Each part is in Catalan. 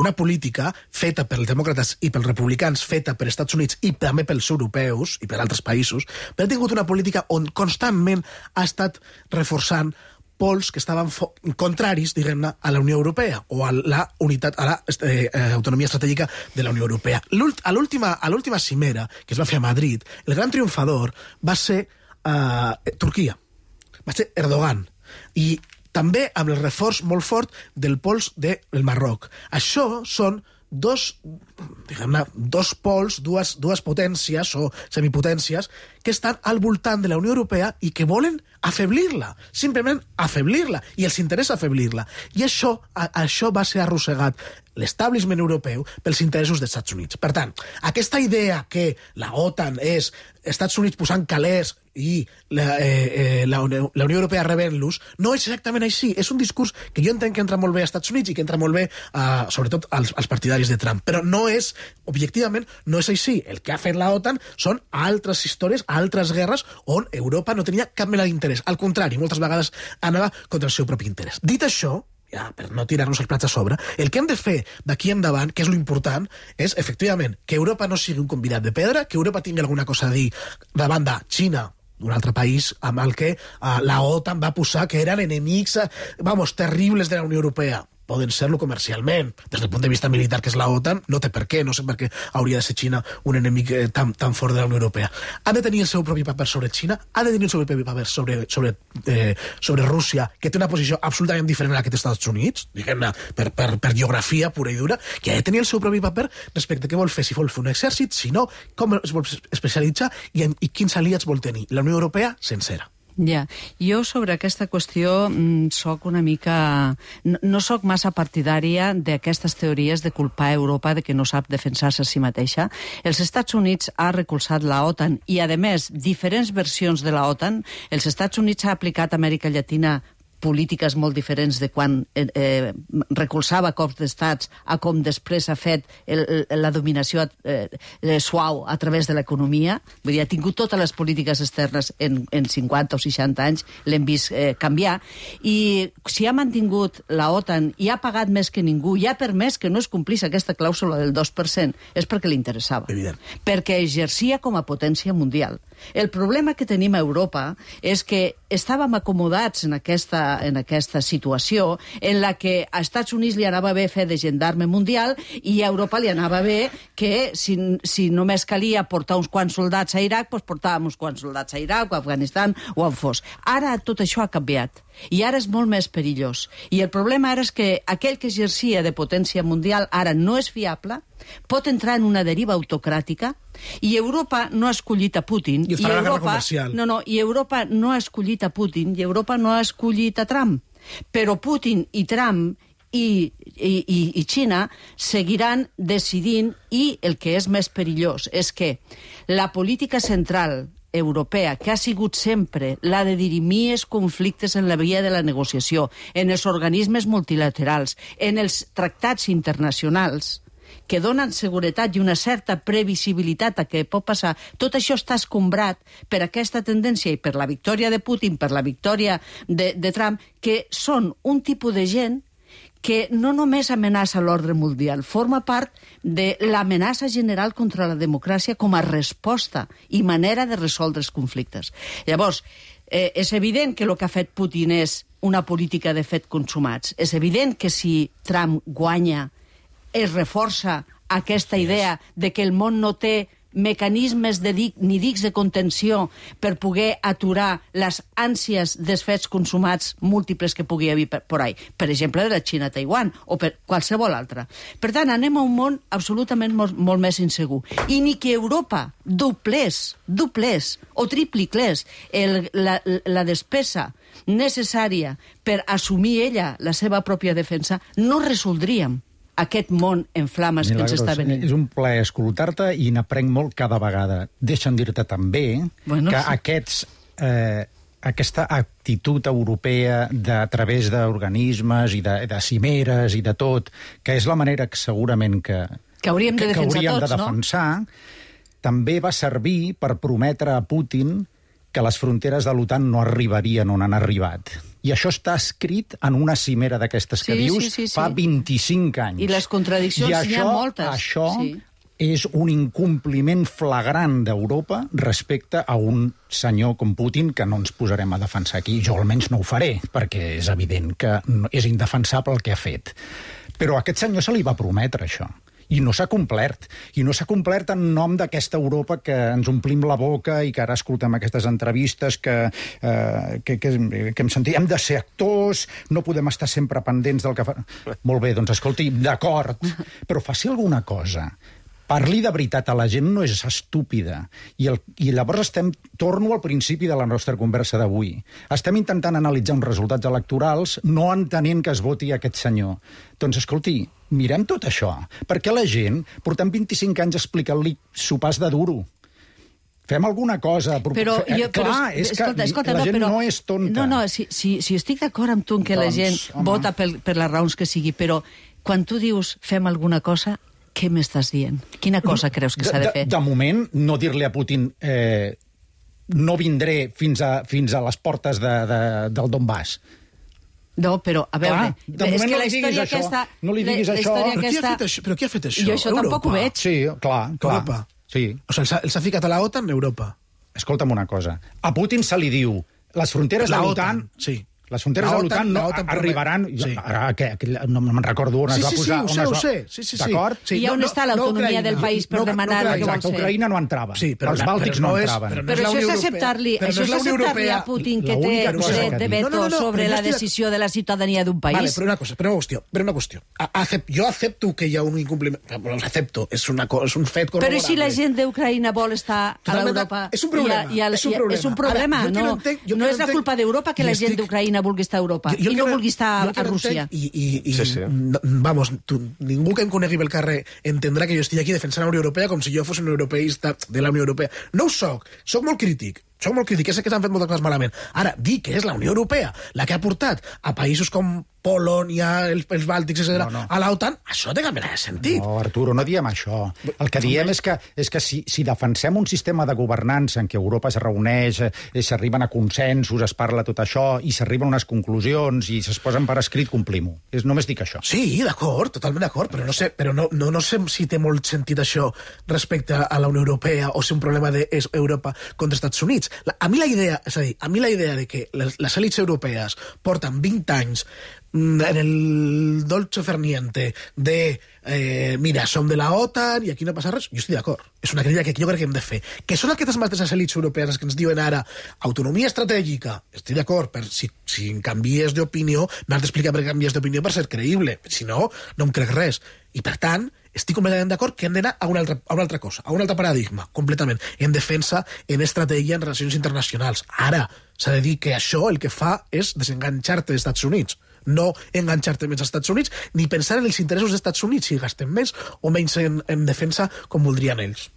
una política feta pels demòcrates i pels republicans, feta per Estats Units i també pels europeus i per altres països, però ha tingut una política on constantment ha estat reforçant pols que estaven contraris, diguem-ne, a la Unió Europea o a la unitat, a la autonomia estratègica de la Unió Europea. A l'última cimera, que es va fer a Madrid, el gran triomfador va ser Turquia, va ser Erdogan, i també amb el reforç molt fort del pols del Marroc. Això són dos pols, dues potències o semipotències que estan al voltant de la Unió Europea i que volen afeblir-la, simplement afeblir-la, i els interessa afeblir-la. I això va ser arrossegat l'establishment europeu pels interessos dels Estats Units. Per tant, aquesta idea que la OTAN és Estats Units posant calés i la Unió Europea rebent-los, no és exactament així. És un discurs que jo entenc que entra molt bé als Estats Units i que entra molt bé, sobretot, als partidaris de Trump. Però no és, objectivament, no és així. El que ha fet la OTAN són altres històries, altres guerres on Europa no tenia cap mena d'interès. Al contrari, moltes vegades anava contra el seu propi interès. Dit això, ja, per no tirar-nos els plats a sobre, el que hem de fer d'aquí endavant, que és l'important, és, efectivament, que Europa no sigui un convidat de pedra, que Europa tingui alguna cosa a dir davant de Xina, un altre país amb el que la OTAN va posar que eren enemics, terribles de la Unió Europea. Poden ser-lo comercialment. Des del punt de vista militar, que és la OTAN, no té per què, no sé per què hauria de ser Xina un enemic tan fort de la Unió Europea. Ha de tenir el seu propi paper sobre Xina, ha de tenir el seu propi paper sobre Rússia, que té una posició absolutament diferent a la que té els Estats Units, diguem-ne, per geografia pura i dura, que ha de tenir el seu propi paper respecte a què vol fer, si vol fer un exèrcit, si no, com es vol especialitzar i quins aliats vol tenir. La Unió Europea, sencera. Ja, jo sobre aquesta qüestió soc una mica... No soc massa partidària d'aquestes teories de culpar Europa de que no sap defensar-se a si mateixa. Els Estats Units ha recolzat la OTAN i, a més, diferents versions de la OTAN. Els Estats Units ha aplicat a Amèrica Llatina polítiques molt diferents de quan recolzava cops d'estats a com després ha fet la dominació suau a través de l'economia. Vull dir, ha tingut totes les polítiques externes en 50 o 60 anys, l'hem vist canviar. I si ha mantingut la OTAN i ha pagat més que ningú i ha permès que no es complís aquesta clàusula del 2%, és perquè li interessava. Evident. Perquè exercia com a potència mundial. El problema que tenim a Europa és que estàvem acomodats en aquesta situació en la que a Estats Units li anava bé fer de gendarme mundial i a Europa li anava bé que si només calia portar uns quants soldats a Iraq, doncs portàvem uns quants soldats a Iraq o a Afganistan o on fos. Ara tot això ha canviat i ara és molt més perillós. I el problema ara és que aquell que exercia de potència mundial ara no és fiable, pot entrar en una deriva autocràtica i Europa no ha escollit a Putin. I farà la guerra comercial. I Europa no ha escollit a Putin i Europa no ha escollit a Trump. Però Putin i Trump i Xina seguiran decidint i el que és més perillós és que la política central europea, que ha sigut sempre la de dirimir els conflictes en la via de la negociació, en els organismes multilaterals, en els tractats internacionals, que donen seguretat i una certa previsibilitat a què pot passar, tot això està escombrat per aquesta tendència i per la victòria de Putin, per la victòria de Trump, que són un tipus de gent que no només amenaça l'ordre mundial, forma part de l'amenaça general contra la democràcia com a resposta i manera de resoldre els conflictes. Llavors, és evident que el que ha fet Putin és una política de fet consumats. És evident que si Trump guanya es reforça aquesta idea de que el món no té mecanismes ni dics de contenció per poder aturar les ànsies dels fets consumats múltiples que pugui haver per ahí. Per exemple, de la Xina a Taiwan o per qualsevol altra. Per tant, anem a un món absolutament molt més insegur. I ni que Europa doblés o tripliclés la despesa necessària per assumir ella la seva pròpia defensa, no resoldríem aquest món en flames que ens està venint. És un plaer escoltar-te i n'aprenc molt cada vegada. Deixa'm dir-te també que aquesta actitud europea a través d'organismes i de cimeres i de tot, que és la manera que segurament que hauríem de defensar, també va servir per prometre a Putin que les fronteres de l'OTAN no arribarien on han arribat. I això està escrit en una cimera d'aquestes que dius fa 25 anys. I les contradiccions n'hi ha moltes. Això és un incompliment flagrant d'Europa respecte a un senyor com Putin que no ens posarem a defensar aquí. Jo almenys no ho faré, perquè és evident que és indefensable el que ha fet. Però a aquest senyor se li va prometre això. I no s'ha complert. I no s'ha complert en nom d'aquesta Europa que ens omplim la boca i que ara escoltem aquestes entrevistes que hem sentit. Hem de ser actors, no podem estar sempre pendents del que fa... Molt bé, doncs escolti, d'acord, però faci alguna cosa. Parli de veritat a la gent, no és estúpida. I llavors torno al principi de la nostra conversa d'avui. Estem intentant analitzar uns resultats electorals no entenent que es voti aquest senyor. Doncs, escolti, mirem tot això. Perquè la gent portem 25 anys explicant-li sopars de duro. Fem alguna cosa. Escolta, la gent no és tonta. No, si estic d'acord amb tu en que la gent vota per les raons que sigui, però quan tu dius fem alguna cosa, què m'estàs dient? Quina cosa creus que s'ha de fer? De moment, no dir-li a Putin no vindré fins a les portes del Donbass. No, però, a veure... De moment no li diguis això. No li diguis això. Però qui ha fet això? Jo això tampoc ho veig. Sí, clar. Europa. Sí. O sigui, els ha ficat a la OTAN, Europa. Escolta'm una cosa. A Putin se li diu les fronteres de l'OTAN... Sí. Les fronteres de l'OTAN no arribaran... No me'n recordo on es va posar... Sí, ho sé. D'acord? I on està l'autonomia del país per demanar el que vol ser? Ucraïna no entrava. Els bàltics no entraven. Però això és acceptar-li a Putin que té dret de veto sobre la decisió de la ciutadania d'un país. Vale, però una qüestió. Jo accepto que hi ha un incompliment. Ho accepto, és un fet corroborable. Però si la gent d'Ucraïna vol estar a l'Europa... És un problema. És un problema. No és la culpa d'Europa que la gent d'Ucraïna vulgui estar a Europa i no vulgui estar a Rússia. Vamos, ningú que em conegui pel carrer entendrà que jo estigui aquí defensant la Unió Europea com si jo fos un europeista de la Unió Europea. No ho soc molt crític. És que s'han fet moltes coses malament. Ara, dir que és la Unió Europea la que ha portat a països com Polònia, els Bàltics, etc., a l'OTAN, això té cap mena de sentit. No, Arturo, no diem això. El que diem és que si defensem un sistema de governança en què Europa es reuneix, s'arriben a consensos, es parla tot això, i s'arriben a unes conclusions i es posen per escrit, complim-ho. Només dic això. Sí, d'acord, totalment d'acord, però no sé si té molt sentit això respecte a la Unió Europea o si un problema d'Europa contra els Estats Units. A mi la idea de que les èlits europees porten 20 anys en el dolce ferniente de mira, som de la OTAN i aquí no passa res, jo estic d'acord. És una crítica que jo crec que hem de fer. Que són aquestes mateixes èlits europees que ens diuen ara autonomia estratègica, estic d'acord, per si canvies d'opinió, m'has d'explicar per què canvies d'opinió per ser creïble. Si no, no em crec res. I per tant, estic completament d'acord que hem d'anar a una altra cosa, a un altre paradigma, completament, en defensa, en estratègia, en relacions internacionals. Ara, s'ha de dir que això el que fa és desenganxar-te dels Estats Units, no enganxar-te més als Estats Units, ni pensar en els interessos dels Estats Units, si gasten més o menys en defensa com voldrien ells.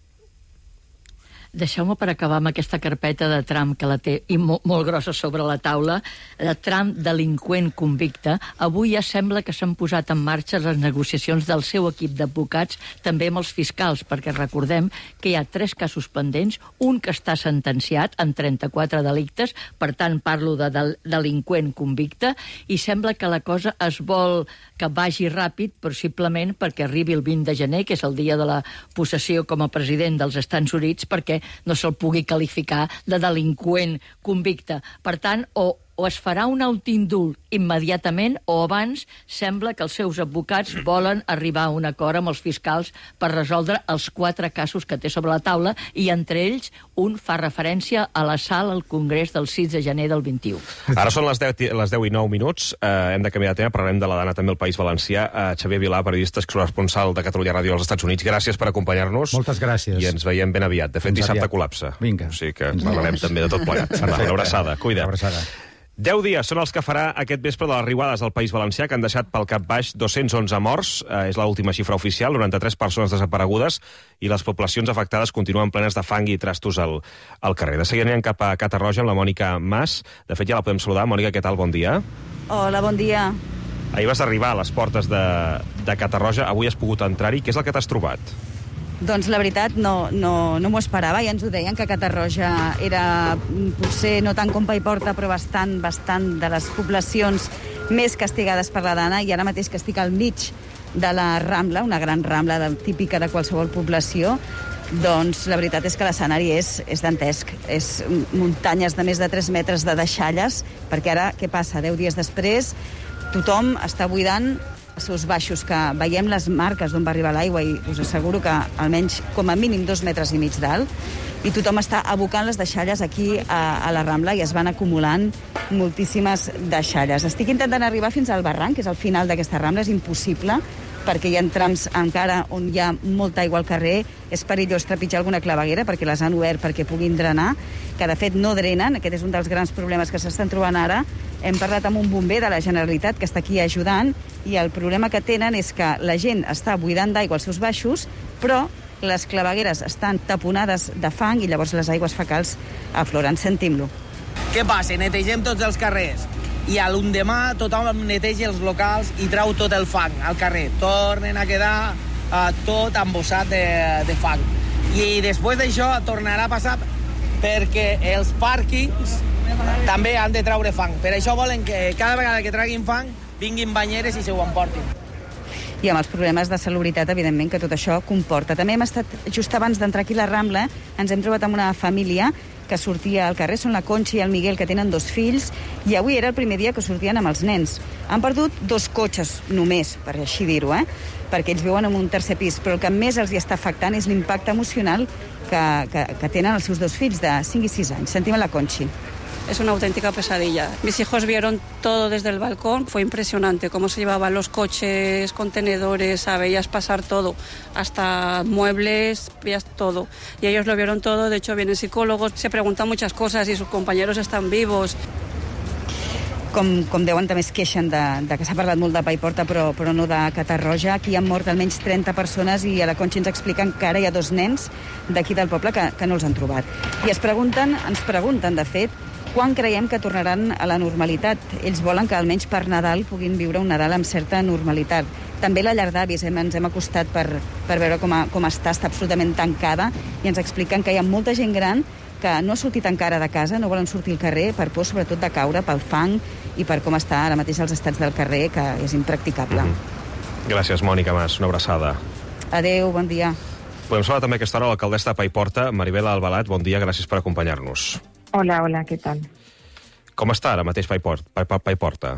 Deixeu-me per acabar amb aquesta carpeta de Trump que la té i molt grossa sobre la taula, de Trump delinqüent convicte. Avui ja sembla que s'han posat en marxa les negociacions del seu equip d'advocats, també amb els fiscals, perquè recordem que hi ha 3 casos pendents, un que està sentenciat en 34 delictes, per tant parlo de delinqüent convicte, i sembla que la cosa es vol que vagi ràpid, possiblement perquè arribi el 20 de gener, que és el dia de la possessió com a president dels Estats Units, perquè no se'l pugui qualificar de delinqüent convicte. Per tant, o es farà un autoindult immediatament o abans sembla que els seus advocats volen arribar a un acord amb els fiscals per resoldre els 4 casos que té sobre la taula i entre ells un fa referència a la sala al Congrés del 6 de gener del 21. Ara són les 10:09. Hem de canviar de tema, parlarem de la Dana també al País Valencià. Xavier Vilà, periodista corresponsal de Catalunya Ràdio als Estats Units, gràcies per acompanyar-nos. Moltes gràcies. I ens veiem ben aviat. De fet, dissabte col·lapsa. Vinga. O sigui que parlarem també de tot plegat. Una abraçada. Cuida. 10 dies són els que farà aquest vespre de les riuades al País Valencià, que han deixat pel cap baix 211 morts. És l'última xifra oficial, 93 persones desaparegudes, i les poblacions afectades continuen plenes de fang i trastos al carrer. De seguida anirem cap a Catarroja amb la Mònica Mas. De fet, ja la podem saludar. Mònica, què tal? Bon dia. Hola, bon dia. Ahir vas arribar a les portes de Catarroja. Avui has pogut entrar-hi. Què és el que t'has trobat? Doncs la veritat no m'ho esperava, ja ens ho deien, que Catarroja era potser no tant com Paiporta, però bastant de les poblacions més castigades per la dana, i ara mateix que estic al mig de la Rambla, una gran Rambla típica de qualsevol població, doncs la veritat és que l'escenari és dantesc. És muntanyes de més de 3 metres de deixalles, perquè ara, què passa? 10 dies després, tothom està buidant els seus baixos, que veiem les marques d'on va arribar l'aigua, i us asseguro que almenys com a mínim 2 metres i mig d'alt, i tothom està abocant les deixalles aquí a la Rambla, i es van acumulant moltíssimes deixalles. Estic intentant arribar fins al barranc, que és el final d'aquesta Rambla, és impossible, perquè hi ha trams encara on hi ha molta aigua al carrer, és perillós trepitjar alguna claveguera perquè les han obert perquè puguin drenar, que de fet no drenen, aquest és un dels grans problemes que s'estan trobant ara. Hem parlat amb un bomber de la Generalitat que està aquí ajudant, i el problema que tenen és que la gent està buidant d'aigua als seus baixos, però les clavegueres estan taponades de fang i llavors les aigües fecals afloren. Sentim-lo. Què passa? Netegem tots els carrers i a l'endemà tothom neteja els locals i trau tot el fang al carrer. Tornen a quedar tot embossat de fang. I després d'això tornarà a passar perquè els pàrquings també han de traure fang. Per això volen que cada vegada que traguin fang vinguin banyeres i se ho emportin. I amb els problemes de salubritat, evidentment, que tot això comporta. També hem estat, just abans d'entrar aquí a la Rambla, ens hem trobat amb una família que sortia al carrer, són la Conxa i el Miguel, que tenen 2 fills, i avui era el primer dia que sortien amb els nens. Han perdut 2 cotxes només, per així dir-ho, perquè ells viuen en un tercer pis, però el que més els hi està afectant és l'impacte emocional que tenen els seus 2 fills de 5 i 6 anys. Sentim a la Conxi. Es una auténtica pesadilla. Mis hijos vieron todo desde el balcón, fue impresionante cómo se llevaban los coches, contenedores, veías pasar todo, hasta muebles, veías todo. Y ellos lo vieron todo, de hecho vienen psicólogos, se preguntan muchas cosas si sus compañeros están vivos. Com deuen, també es queixen de que s'ha parlat molt de Paiporta, però no de Catarroja. Aquí han mort almenys 30 persones i a la Conxa ens expliquen que ara hi ha 2 nens d'aquí del poble que no els han trobat. I ens pregunten, de fet, quan creiem que tornaran a la normalitat. Ells volen que almenys per Nadal puguin viure un Nadal amb certa normalitat. També la llar d'avis, ens hem acostat per veure com està absolutament tancada, i ens expliquen que hi ha molta gent gran que no ha sortit encara de casa, no volen sortir al carrer per por sobretot de caure pel fang i per com està ara mateix els estats del carrer, que és impracticable. Gràcies, Mònica Mas. Una abraçada. Adéu, bon dia. Podem saludar també a aquesta hora l'alcaldessa de Paiporta, Maribel Albalat. Bon dia, gràcies per acompanyar-nos. Hola, ¿qué tal? Com està ara mateix Paiporta?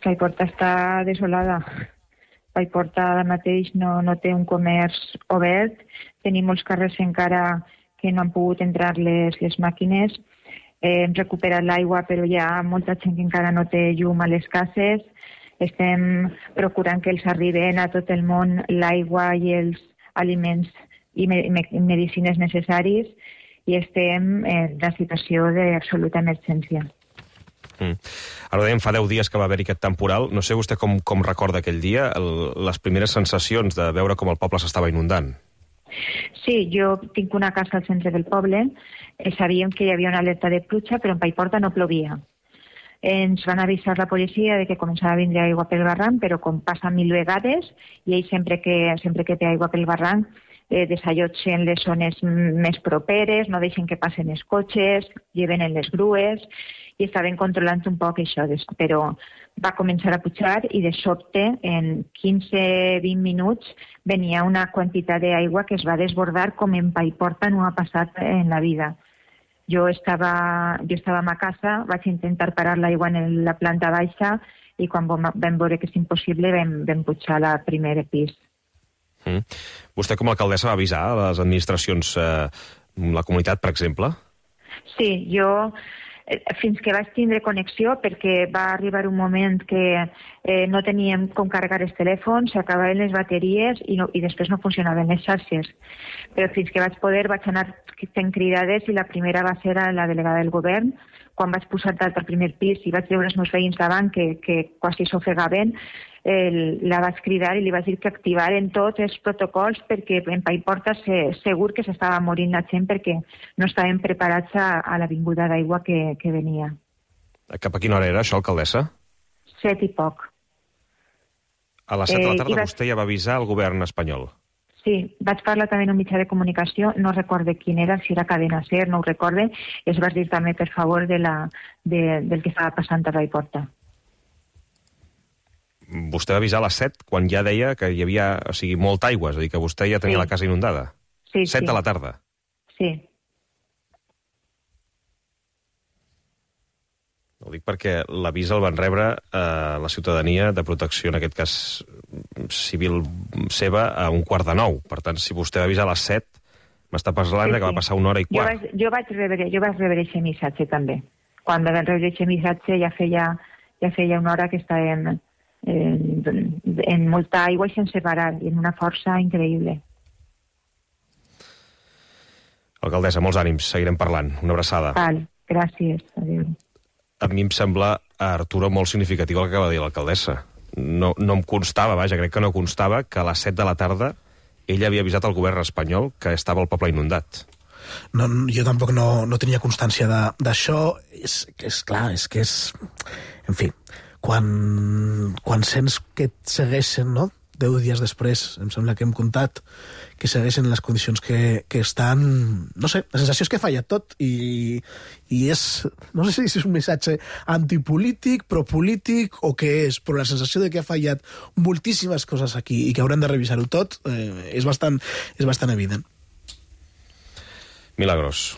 Paiporta està desolada. Paiporta ara mateix no té un comerç obert. Tenim molts carrers encara que no han pogut entrar les màquines. Hem recuperat l'aigua, però hi ha molta gent que encara no té llum a les cases. Estem procurant que els arriben a tot el món l'aigua i els aliments i medicines necessaris, i estem en una situació d'absoluta emergència. Ara dèiem, fa 10 dies que va haver-hi aquest temporal. No sé vostè com recorda aquell dia, les primeres sensacions de veure com el poble s'estava inundant. Sí, jo tinc una casa al centre del poble. Sabíem que hi havia una alerta de pluja, però en Paiporta no plovia. Ens van avisar la policia de que començava a vindre aigua pel barranc, però com passa 1000 vegades, i ells sempre que té aigua pel barranc desallotgen les zones més properes, no deixen que passen els cotxes, lleven en les grues, i estaven controlant un poc això, però va començar a pujar i de sobte, en 15-20 minuts, venia una quantitat d'aigua que es va desbordar com en Paiporta no ha passat en la vida. Jo estava a casa, vaig intentar parar l'aigua en la planta baixa i quan vam veure que és impossible vam pujar al primer pis. Vostè com a alcaldessa va avisar a les administracions, la comunitat, per exemple? Sí, jo fins que vaig tindre connexió, perquè va arribar un moment que no teníem com carregar els telèfons, s'acabaven les bateries i després no funcionaven les xarxes. Però fins que vaig poder vaig anar fent cridades i la primera va ser a la delegada del govern. Quan vaig posar dalt al primer pis i vaig veure els meus veïns davant que quasi s'ofegaven, la vaig cridar i li vaig dir que activaren tots els protocols perquè en Paiporta segur que s'estava morint la gent perquè no estaven preparats a la vinguda d'aigua que venia. Cap a quina hora era això, alcaldessa? 7 i poc. A les 7 de la tarda vostè ja va avisar al govern espanyol? Sí, vaig parlar també en un mitjà de comunicació, no recorde quin era, si era Cadena Ser, no ho recorde, i es va dir també per favor del que estava passant a Paiporta. Vostè va avisar a les 7 quan ja deia que hi havia, o sigui, molta aigua, és a dir, que vostè ja tenia la casa inundada. Sí, 7 de la tarda. Sí. Ho dic perquè l'avís el van rebre la ciutadania de protecció, en aquest cas civil seva, a 8:45. Per tant, si vostè va avisar a les 7, m'està parlant que va passar 1h15. Jo vaig rebre aquest missatge també. Quan vam rebre aquest missatge ja feia una hora que estàvem en molta aigua i sense parar, i en una força increïble. Alcaldessa, molts ànims, seguirem parlant. Una abraçada. Val, gràcies. Adéu. A mi em sembla, Arturo, molt significatiu el que acaba de dir l'alcaldessa. No em constava, vaja, crec que no constava que a les 7 de la tarda ella havia avisat al govern espanyol que estava el poble inundat. No, jo tampoc no tenia constància d'això. És clar, és que és... En fi, quan sents que et segueixen, no?, 10 dies després, em sembla que hem comptat, que segueixen les condicions que estan... No sé, la sensació és que falla tot i és... No sé si és un missatge antipolític, propolític o què és, però la sensació de que ha fallat moltíssimes coses aquí i que haurem de revisar-ho tot és bastant evident. Milagros.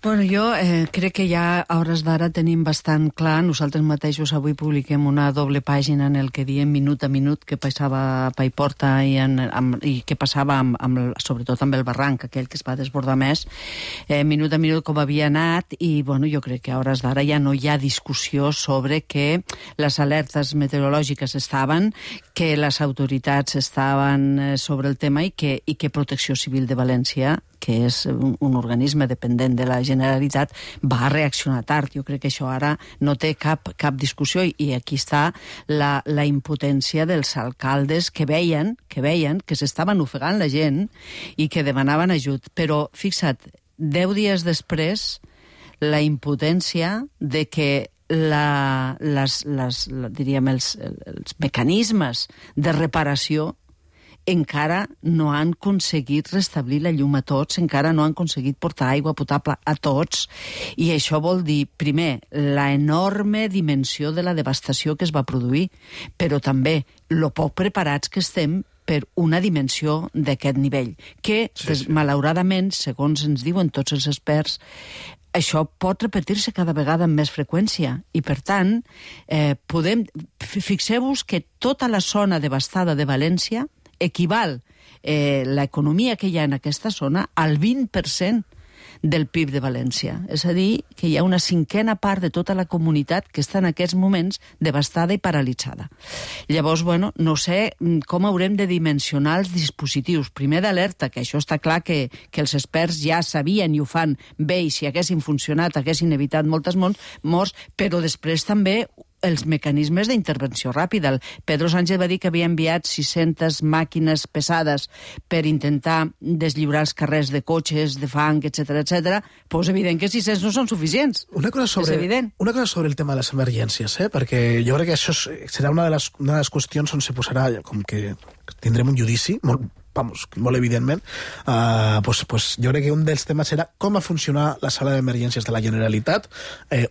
Bueno, jo crec que ja a hores d'ara tenim bastant clar, nosaltres mateixos avui publiquem una doble pàgina en el que diem minut a minut què passava a Paiporta i què passava sobretot amb el barranc, aquell que es va desbordar més, minut a minut com havia anat, i bueno, jo crec que a hores d'ara ja no hi ha discussió sobre que les alertes meteorològiques estaven, que les autoritats estaven sobre el tema i que Protecció Civil de València, que és un organisme dependent de la Generalitat, va reaccionar tard. Jo crec que això ara no té cap discussió, i aquí està la impotència dels alcaldes que veien que s'estaven ofegant la gent i que demanaven ajut. Però, fixa't, 10 dies després, la impotència de que diríem, els mecanismes de reparació encara no han aconseguit restablir la llum a tots, encara no han aconseguit portar aigua potable a tots, i això vol dir, primer, la enorme dimensió de la devastació que es va produir, però també lo poc preparats que estem per una dimensió d'aquest nivell, que, malauradament, segons ens diuen tots els experts, això pot repetir-se cada vegada amb més freqüència, i per tant, fixeu-vos que tota la zona devastada de València equival l'economia que hi ha en aquesta zona al 20% del PIB de València. És a dir, que hi ha una cinquena part de tota la comunitat que està en aquests moments devastada i paralitzada. Llavors, bueno, no sé com haurem de dimensionar els dispositius. Primer d'alerta, que això està clar que els experts ja sabien i ho fan bé, i si haguessin funcionat haguessin evitat moltes morts, però després també els mecanismes d'intervenció ràpida. El Pedro Sánchez va dir que havia enviat 600 màquines pesades per intentar deslliurar els carrers de cotxes, de fang, etc. Però és evident que 600 no són suficients. Una cosa sobre el tema de les emergències, perquè jo crec que això serà una de les qüestions on se posarà, com que tindrem un judici, molt evidentment, jo crec que un dels temes serà com ha funcionat la sala d'emergències de la Generalitat,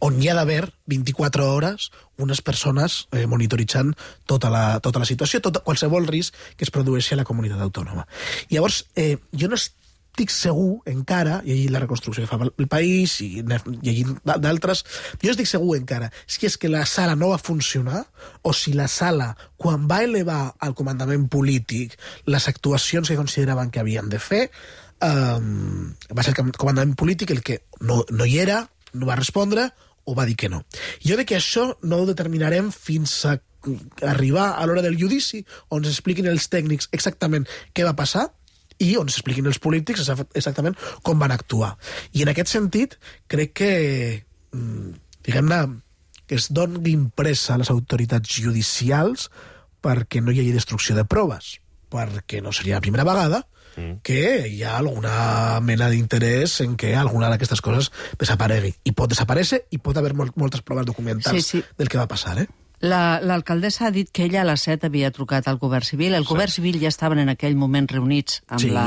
on hi ha d'haver 24 hores unes persones monitoritzant tota la situació, qualsevol risc que es produeixi a la comunitat autònoma. Llavors, jo no estic segur encara, llegint la reconstrucció que fa el País i llegint d'altres, jo estic segur encara si és que la sala no va funcionar o si la sala, quan va elevar al comandament polític les actuacions que consideraven que havien de fer, va ser el comandament polític el que no hi era, no va respondre o va dir que no. Jo crec que això no ho determinarem fins a arribar a l'hora del judici, on s'expliquin els tècnics exactament què va passar i on s'expliquin els polítics exactament com van actuar. I en aquest sentit, crec que, diguem-ne, que es doni pressa a les autoritats judicials perquè no hi hagi destrucció de proves, perquè no seria la primera vegada que hi ha alguna mena d'interès en que alguna d'aquestes coses desaparegui. I pot desaparèixer i pot haver moltes proves documentals del que va passar, L'alcaldessa ha dit que ella a les 7 havia trucat al govern civil. El govern civil ja estaven en aquell moment reunits amb la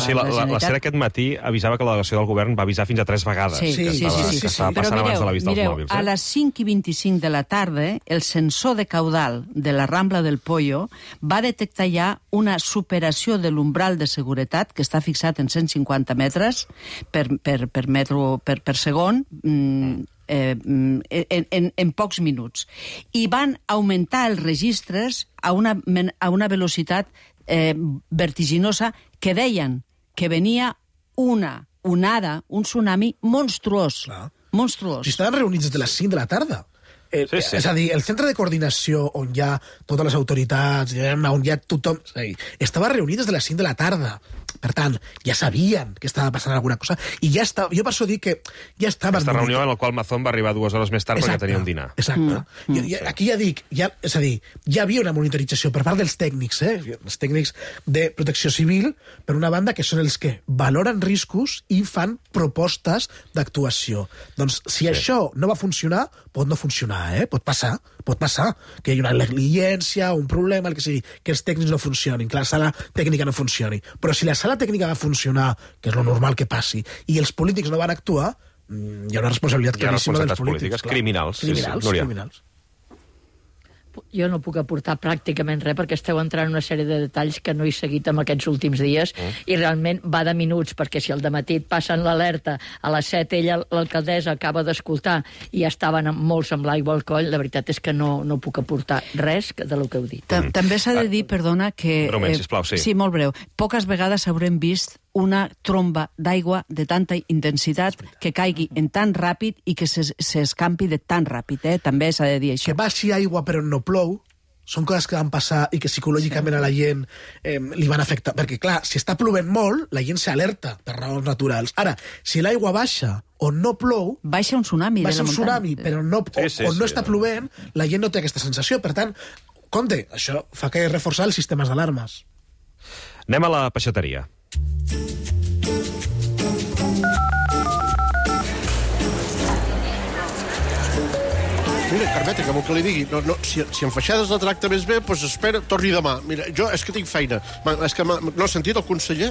Generalitat. La SER aquest matí avisava que la delegació del govern va avisar fins a 3 vegades que estava passant abans de l'avís dels mòbils. A les 5:25 de la tarda, el sensor de caudal de la Rambla del Pollo va detectar ja una superació de l'umbral de seguretat, que està fixat en 150 metres per segon, en pocs minuts. I van augmentar els registres a una velocitat vertiginosa que deien que venia una onada, un tsunami monstruós. Monstruós. Si estaven reunits des de les 5 de la tarda. És a dir, el centre de coordinació on hi ha totes les autoritats, on hi ha tothom... Estava reunit des de les 5 de la tarda. Per tant, ja sabien que estava passant alguna cosa i ja estava... Jo per això dic que ja estava... Aquesta reunió en la qual Mazón va arribar 2 hores més tard perquè tenia un dinar. Exacte. Aquí ja dic... És a dir, ja havia una monitorització per part dels tècnics, els tècnics de protecció civil, per una banda, que són els que valoren riscos i fan propostes d'actuació. Doncs si això no va funcionar, pot no funcionar, pot passar que hi hagi una negligència, un problema, el que sigui, que els tècnics no funcionin, que la sala tècnica no funcioni. Però si la sala tècnica va funcionar, que és lo normal que passi, i els polítics no van actuar, hi ha una responsabilitat claríssima dels polítics. Criminals. Criminals. Jo no puc aportar pràcticament res perquè esteu entrant en una sèrie de detalls que no he seguit en aquests últims dies i realment va de minuts, perquè si al dematí et passen l'alerta, a les 7 ella, l'alcaldessa, acaba d'escoltar i ja estaven molts amb l'aigua al coll, la veritat és que no puc aportar res de lo que heu dit. També s'ha de dir, perdona, que... Breument, sisplau, sí. Sí, molt breu. Poques vegades haurem vist una tromba d'aigua de tanta intensitat que caigui en tan ràpid i que s'escampi de tan ràpid. També s'ha de dir això. Que baixi aigua però no plou, són coses que van passar i que psicològicament a la gent li van afectar. Perquè, clar, si està plovent molt, la gent s'alerta per raons naturals. Ara, si l'aigua baixa o no plou... Baixa un tsunami. Baixa un tsunami, però no està plovent, la gent no té aquesta sensació. Per tant, compte, això fa que reforçar els sistemes d'alarmes. Anem a la peixateria. Mira, Carmeta, que vol que li digui, si en Feixades la tracta més bé, doncs espera, torni demà. Mira, jo és que tinc feina. És que no has sentit el conseller?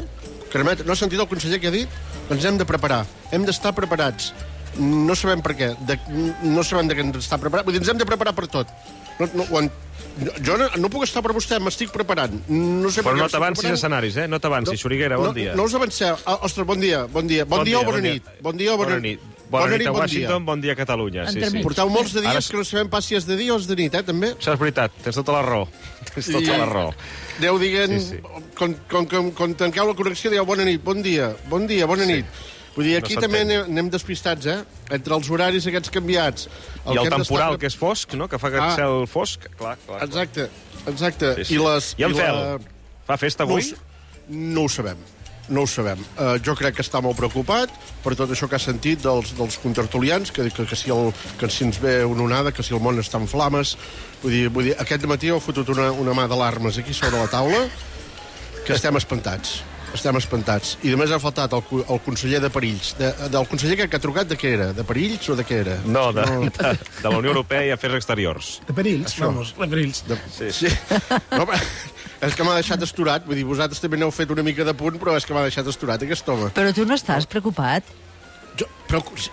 Carmeta, no has sentit el conseller que ha dit? Ens hem de preparar, hem d'estar preparats. No sabem per què, no sabem de què ens està preparat. Vull dir, ens hem de preparar per tot. Jo no puc estar per vostè, m'estic preparant. Però no t'avancis escenaris, no t'avancis. Xuriguera, bon dia. No us avanceu. Ostres, bon dia o bona nit. Bon dia o bona nit. Bona nit a Washington, bon dia a Catalunya. Portau molts de dies que no sabem pas si és de dia o és de nit, també. Això és veritat, tens tota la raó. Aneu dient, quan tanqueu la connexió, dieu bona nit, bon dia, bona nit. Vull dir, aquí també anem despistats, entre els horaris aquests canviats. I el temporal, que és fosc, no?, que fa aquest cel fosc. Clar. Exacte. I en Fel, fa festa avui? No ho sabem. Jo crec que està molt preocupat per tot això que ha sentit dels contertulians, que si ens ve una onada, que si el món està en flames. Vull dir, aquest matí heu fotut una mà d'alarmes aquí sobre la taula, que estem espantats. I només ha faltat el conseller de Perills. Del conseller que ha trucat, de què era? De Perills o de què era? No, de la Unió Europea i Afers Exteriors. De Perills, vamos, de Perills. Sí. No, és que m'ha deixat esturat. Vull dir, vosaltres també n'heu fet una mica de punt, però és que m'ha deixat esturat aquest home. Però tu no estàs preocupat?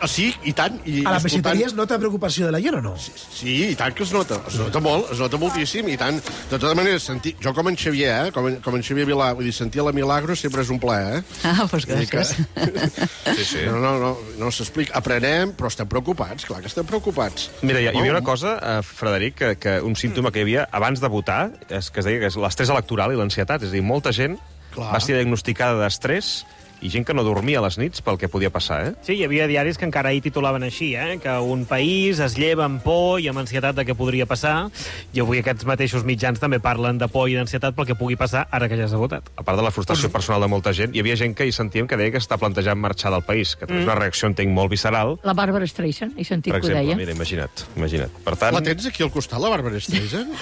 Sí, i tant. A la peixateria es nota preocupació de la gent o no? Sí, i tant que es nota. Es nota molt, es nota moltíssim, i tant. De tota manera, jo com en Xavier, com en Xavier Vilà, vull dir, sentir la Milagro sempre és un plaer, doncs gràcies. Sí. No s'explica. Aprenem, però estem preocupats, clar que estem preocupats. Mira, hi havia una cosa, Frederic, que un símptoma que hi havia abans de votar, és que es deia que és l'estrès electoral i l'ansietat. És a dir, molta gent va ser diagnosticada d'estrès i gent que no dormia a les nits pel que podia passar, Sí, hi havia diaris que encara ahir titulaven així, que un país es lleva amb por i amb ansietat de què podria passar, i avui aquests mateixos mitjans també parlen de por i d'ansietat pel que pugui passar ara que ja s'ha votat. A part de la frustració personal de molta gent, hi havia gent que hi sentíem que deia que està plantejant marxar del país, que és una reacció, entenc, molt visceral. La Bàrbara Streisand, he sentit que ho deia. Mira, imagina't. Per tant, la tens aquí al costat, la Bàrbara Streisand?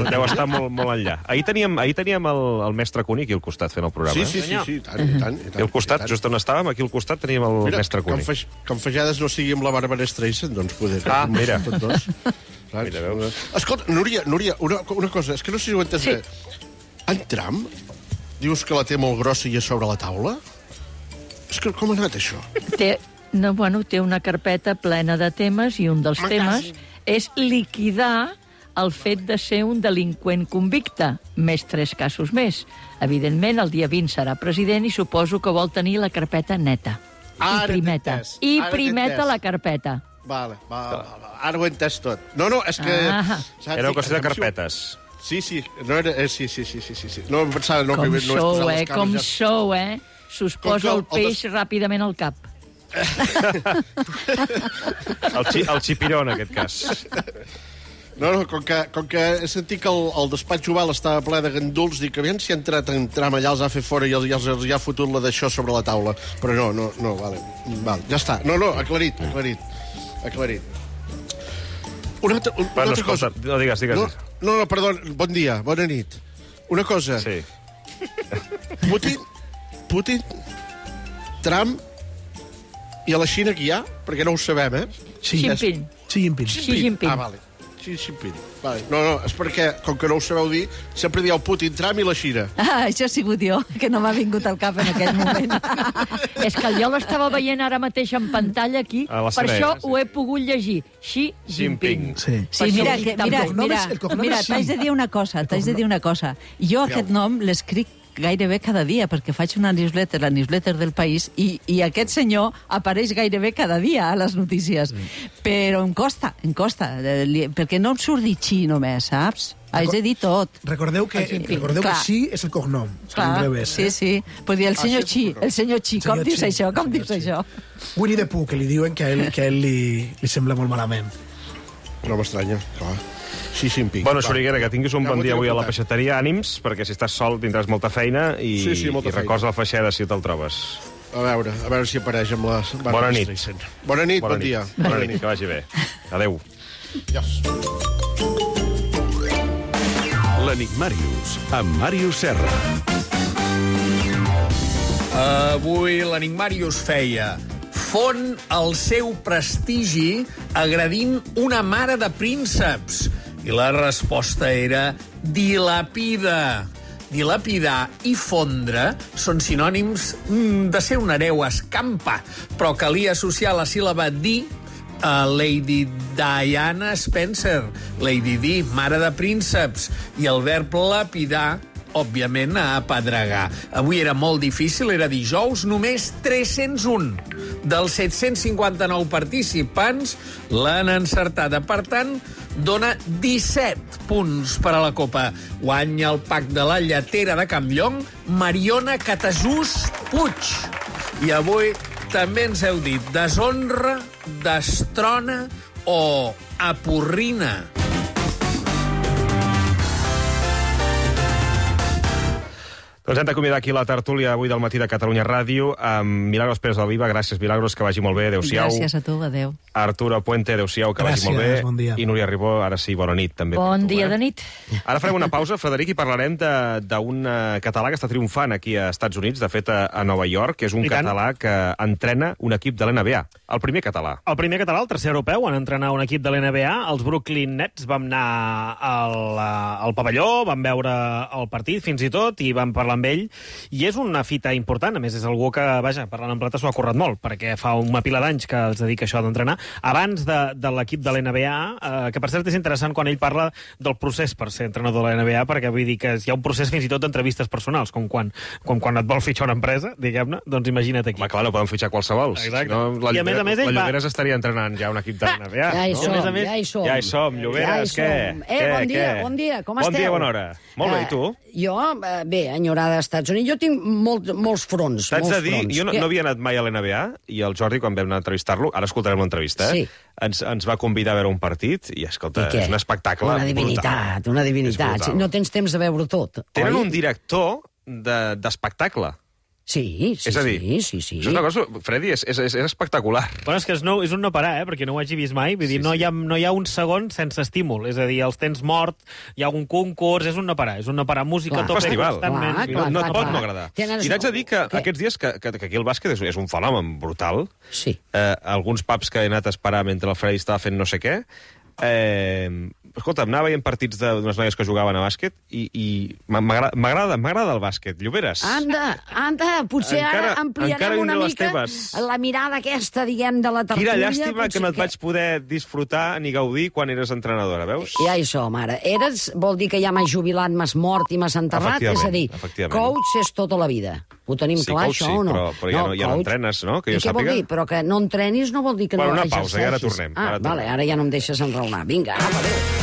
Deu estar molt enllà. Ahir teníem el mestre Cuní aquí al costat fent el programa. Sí, tant. I al costat, just on estàvem, aquí al costat teníem el mestre Cuní. Que en Feixades no sigui amb la Bàrbara Streisand, doncs poder... Mira. Escolta, Núria, una cosa, és que no sé si ho entens bé. En Trump, dius que la té molt grossa i és sobre la taula? És que com ha anat això? Té una carpeta plena de temes i un dels temes és liquidar el fet de ser un delinqüent convicte, més 3 casos més. Evidentment, el dia 20 serà president i suposo que vol tenir la carpeta neta. I primeta la carpeta. Vale. Ara ho he entès tot. No, és que... Era una qüestió de carpetes. Sí. No era... Sí. No em pensava... Com sou, S'us posa el peix ràpidament al cap. El xipiró, en aquest cas. No, com que he sentit que el despatx oval estava ple de ganduls, dic que aviam si ha entrat en Trump allà, els ha fet fora i els ha fotut la d'això sobre la taula. Però no, vale, ja està. No, aclarit. Una altra cosa. No, digues. No, perdó, bon dia, bona nit. Una cosa. Sí. Putin, Trump i a la Xina que hi ha, perquè no ho sabem, Xi Jinping. Vale. Xi Jinping. Vale. No, és perquè, com que no ho sabeu dir, sempre dieu Putin, Trump i la Xina. Això ha sigut jo, que no m'ha vingut al cap en aquell moment. És que jo l'estava veient ara mateix en pantalla aquí, per això ho he pogut llegir. Xi Jinping. Sí, mira, t'haig de dir una cosa. Jo aquest nom l'escric gairebé cada dia, perquè faig una newsletter, la newsletter del País, i aquest senyor apareix gairebé cada dia a les notícies. Però em costa, perquè no em surt dir Xi només, saps? Haig de dir tot. Recordeu que Xi és el cognom. Clar, sí. Pues dir el senyor Xi, com dius això? Winnie the Pooh, que li diuen que a ell li sembla molt malament. No m'estranya, clar. Xi Jinping. Bueno, Soriguera, que tinguis un bon dia avui a la peixateria. Ànims, perquè si estàs sol tindràs molta feina i records la feixeda si te'l trobes. A veure si apareix amb la... Bona nit. Bona nit, bon dia. Bona nit, que vagi bé. Adéu. Adiós. L'Enigmàrius, amb Màrius Serra. Avui l'Enigmàrius feia... Fon el seu prestigi agredint una mare de prínceps. I la resposta era dilapida. Dilapidar i fondre són sinònims de ser un hereu escampa, però calia associar la síl·laba di a Lady Diana Spencer, Lady Di, mare de prínceps, i el verb lapidar, òbviament, a apedregar. Avui era molt difícil, era dijous, només 301 dels 759 participants l'han encertada. Per tant, dona 17 punts per a la Copa. Guanya el pack de la lletera de Campllong, Mariona Catasús Puig. I avui també ens heu dit deshonra, destrona o aporrina. Doncs hem d'acomiadar aquí la tertúlia avui del matí de Catalunya Ràdio amb Milagros Pérez del Viva. Gràcies, Milagros, que vagi molt bé. Adéu-siau. Gràcies a tu, adéu. Arturo Puente, adéu-siau, que vagi molt bé. Bon dia. I Núria Ribó, ara sí, bona nit, també. Bon dia de nit. Ara farem una pausa, Frederic, i parlarem d'un català que està triomfant aquí a Estats Units, de fet a Nova York, que és un català que entrena un equip de l'NBA. El primer català. El primer català, el tercer europeu, en entrenar un equip de l'NBA. Els Brooklyn Nets vam anar al pavelló, vam veure el partit fins i tot, i vam parlar amb ell, i és una fita important. A més, és algú que, vaja, parlant en plata, s'ho ha currat molt, perquè fa una pila d'anys que es dedica a això d'entrenar. Abans de l'equip de l'NBA, que per cert és interessant quan ell parla del procés per ser entrenador de l'NBA, perquè vull dir que hi ha un procés fins i tot d'entrevistes personals, com quan et vol fitxar una empresa, diguem-ne, doncs imagina't aquí. Clar, no poden fitxar qualsevol. Exacte. No, I a més la Lloberes estaria entrenant ja un equip de l'NBA. Ja hi som. Ja hi som, Lloberes, què? Bon dia, com esteu? Bon dia, bona hora. Molt bé, i tu? Jo, bé, enyorada als Estats Units. Jo tinc molts fronts. T'haig de dir, jo no havia anat mai a l'NBA, i el Jordi, quan vam anar a entrevistar-lo, ara escoltarem l'entrevista, ens va convidar a veure un partit, i escolta, és un espectacle brutal. Una divinitat. No tens temps de veure tot. Tenen un director d'espectacle. Sí. És a dir, és una cosa, Freddy, és espectacular. Bueno, és que és un no parar, perquè no ho hagi vist mai. Vull dir, no hi ha un segon sense estímul. És a dir, els tens mort, hi ha un concurs, és un no parar. És un no parar, música, tot festival. No et pot no agradar. I t'haig de dir que aquests dies, que aquí el bàsquet és un fenomen brutal. Sí. Alguns pubs que he anat a esperar mentre el Freddy estava fent no sé què, Escolta, anava veient partits d'unes noies que jugaven a bàsquet i m'agrada el bàsquet. Lloberes. Anda, potser ara ampliarem una mica la mirada aquesta, diguem, de la tertúlia. Quina llàstima que no et vaig poder disfrutar ni gaudir quan eres entrenadora, veus? Ja hi som, ara. Vol dir que ja m'has jubilat, m'has mort i m'has enterrat? És a dir, coach és tota la vida. Ho tenim clar, això, o no? Però ja no entrenes, no? I què vol dir? Però que no entrenis no vol dir que no exerceixis. Una pausa, i ara tornem. Vale, ara ja no em deixes enraonar. Vinga, apa, adéu.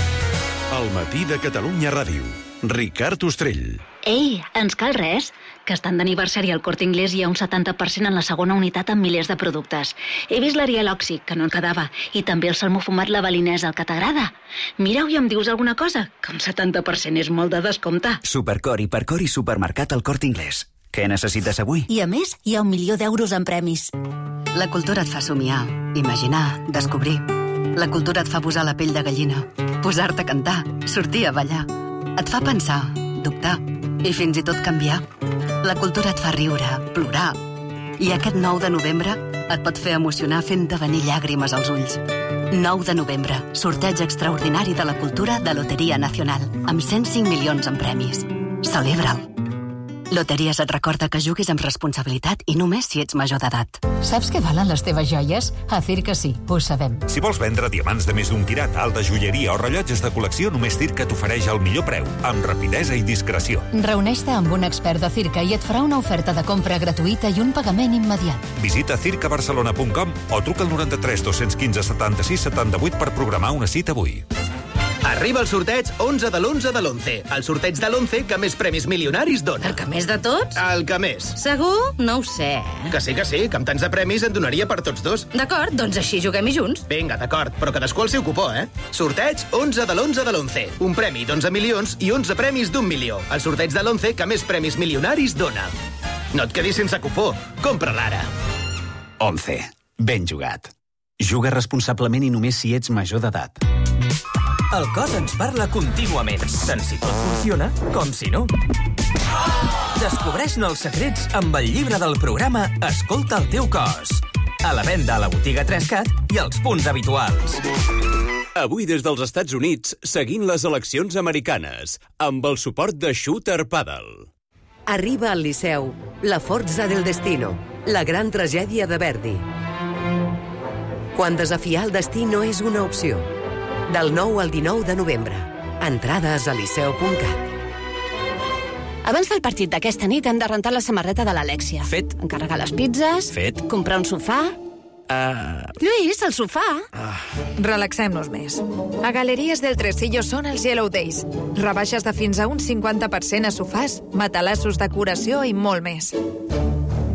El matí de Catalunya Ràdio. Ricard Ostrell. Ei, ens cal res? Que estan d'aniversari al Corte Inglés i hi ha un 70% en la segona unitat amb milers de productes. He vist l'Ariel Òxic, que no en quedava, i també el salmó fumat la balinesa, el que t'agrada. Mira-ho i em dius alguna cosa, que un 70% és molt de descompte. Supercor, Hipercor i Supermercat al Corte Inglés. Què necessites avui? I a més, hi ha 1 milió d'euros en premis. La cultura et fa somiar, imaginar, descobrir. La cultura et fa posar la pell de gallina, posar-te a cantar, sortir a ballar. Et fa pensar, dubtar i fins i tot canviar. La cultura et fa riure, plorar. I aquest 9 de novembre et pot fer emocionar fent-te venir llàgrimes als ulls. 9 de novembre, sorteig extraordinari de la cultura de Loteria Nacional, amb 105 milions en premis. Celebra'l. Loteries et recorda que juguis amb responsabilitat i només si ets major d'edat. Saps què valen les teves joies? A Circa sí, ho sabem. Si vols vendre diamants de més d'un quirat, alta joieria o rellotges de col·lecció, només Circa t'ofereix el millor preu, amb rapidesa i discreció. Reuneix-te amb un expert de Circa i et farà una oferta de compra gratuïta i un pagament immediat. Visita circabarcelona.com o truca al 93 215 76 78 per programar una cita avui. Arriba el sorteig 11 de l'11 de l'11. El sorteig de l'11 que més premis milionaris dona. El que més de tots? El que més. Segur? No ho sé. Que sí, que amb tants de premis en donaria per tots dos. D'acord, doncs així juguem-hi junts. Vinga, d'acord, però cadascú el seu cupó, eh? Sorteig 11 de l'11 de l'11. Un premi d'11 milions i 11 premis d'1 milió. El sorteig de l'11 que més premis milionaris dona. No et quedis sense cupó. Compra-la ara. 11. Ben jugat. Juga responsablement i només si ets major d'edat. El cos ens parla contínuament, tant si tot funciona com si no. Descobreix-ne els secrets amb el llibre del programa Escolta el teu cos. A la venda a la botiga 3CAT i als punts habituals. Avui des dels Estats Units, seguint les eleccions americanes, amb el suport de Shooter Paddle. Arriba al Liceu, La forza del destino, la gran tragèdia de Verdi. Quan desafiar el destí no és una opció. Del 9 al 19 de novembre. Entrades a liceu.cat. Abans del partit d'aquesta nit hem de rentar la samarreta de l'Alèxia. Fet. Encarregar les pizzas. Fet. Comprar un sofà. Lluís, el sofà. Relaxem-nos més. A Galeries del Tresillo són els Yellow Days. Rebaixes de fins a un 50% a sofàs, matalassos, decoració i molt més.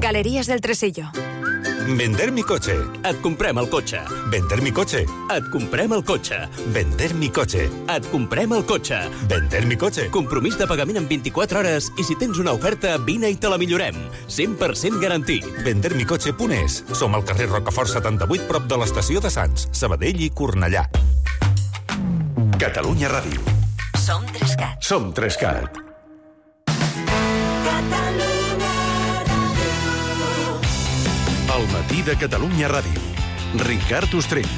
Galeries del Tresillo. Vender mi coche. Et comprem el cotxe. Vender mi coche. Et comprem el cotxe. Vender mi coche. Et comprem el cotxe. Vender mi coche. Compromís de pagament en 24 hores i si tens una oferta, vine i te la millorem. 100% garantit. Vendermicoche.es. Som al carrer Rocafort 78, prop de l'estació de Sants, Sabadell i Cornellà. Catalunya Ràdio. Som 3CAT. Som 3CAT. El matí de Catalunya Ràdio. Ricard Ostrell.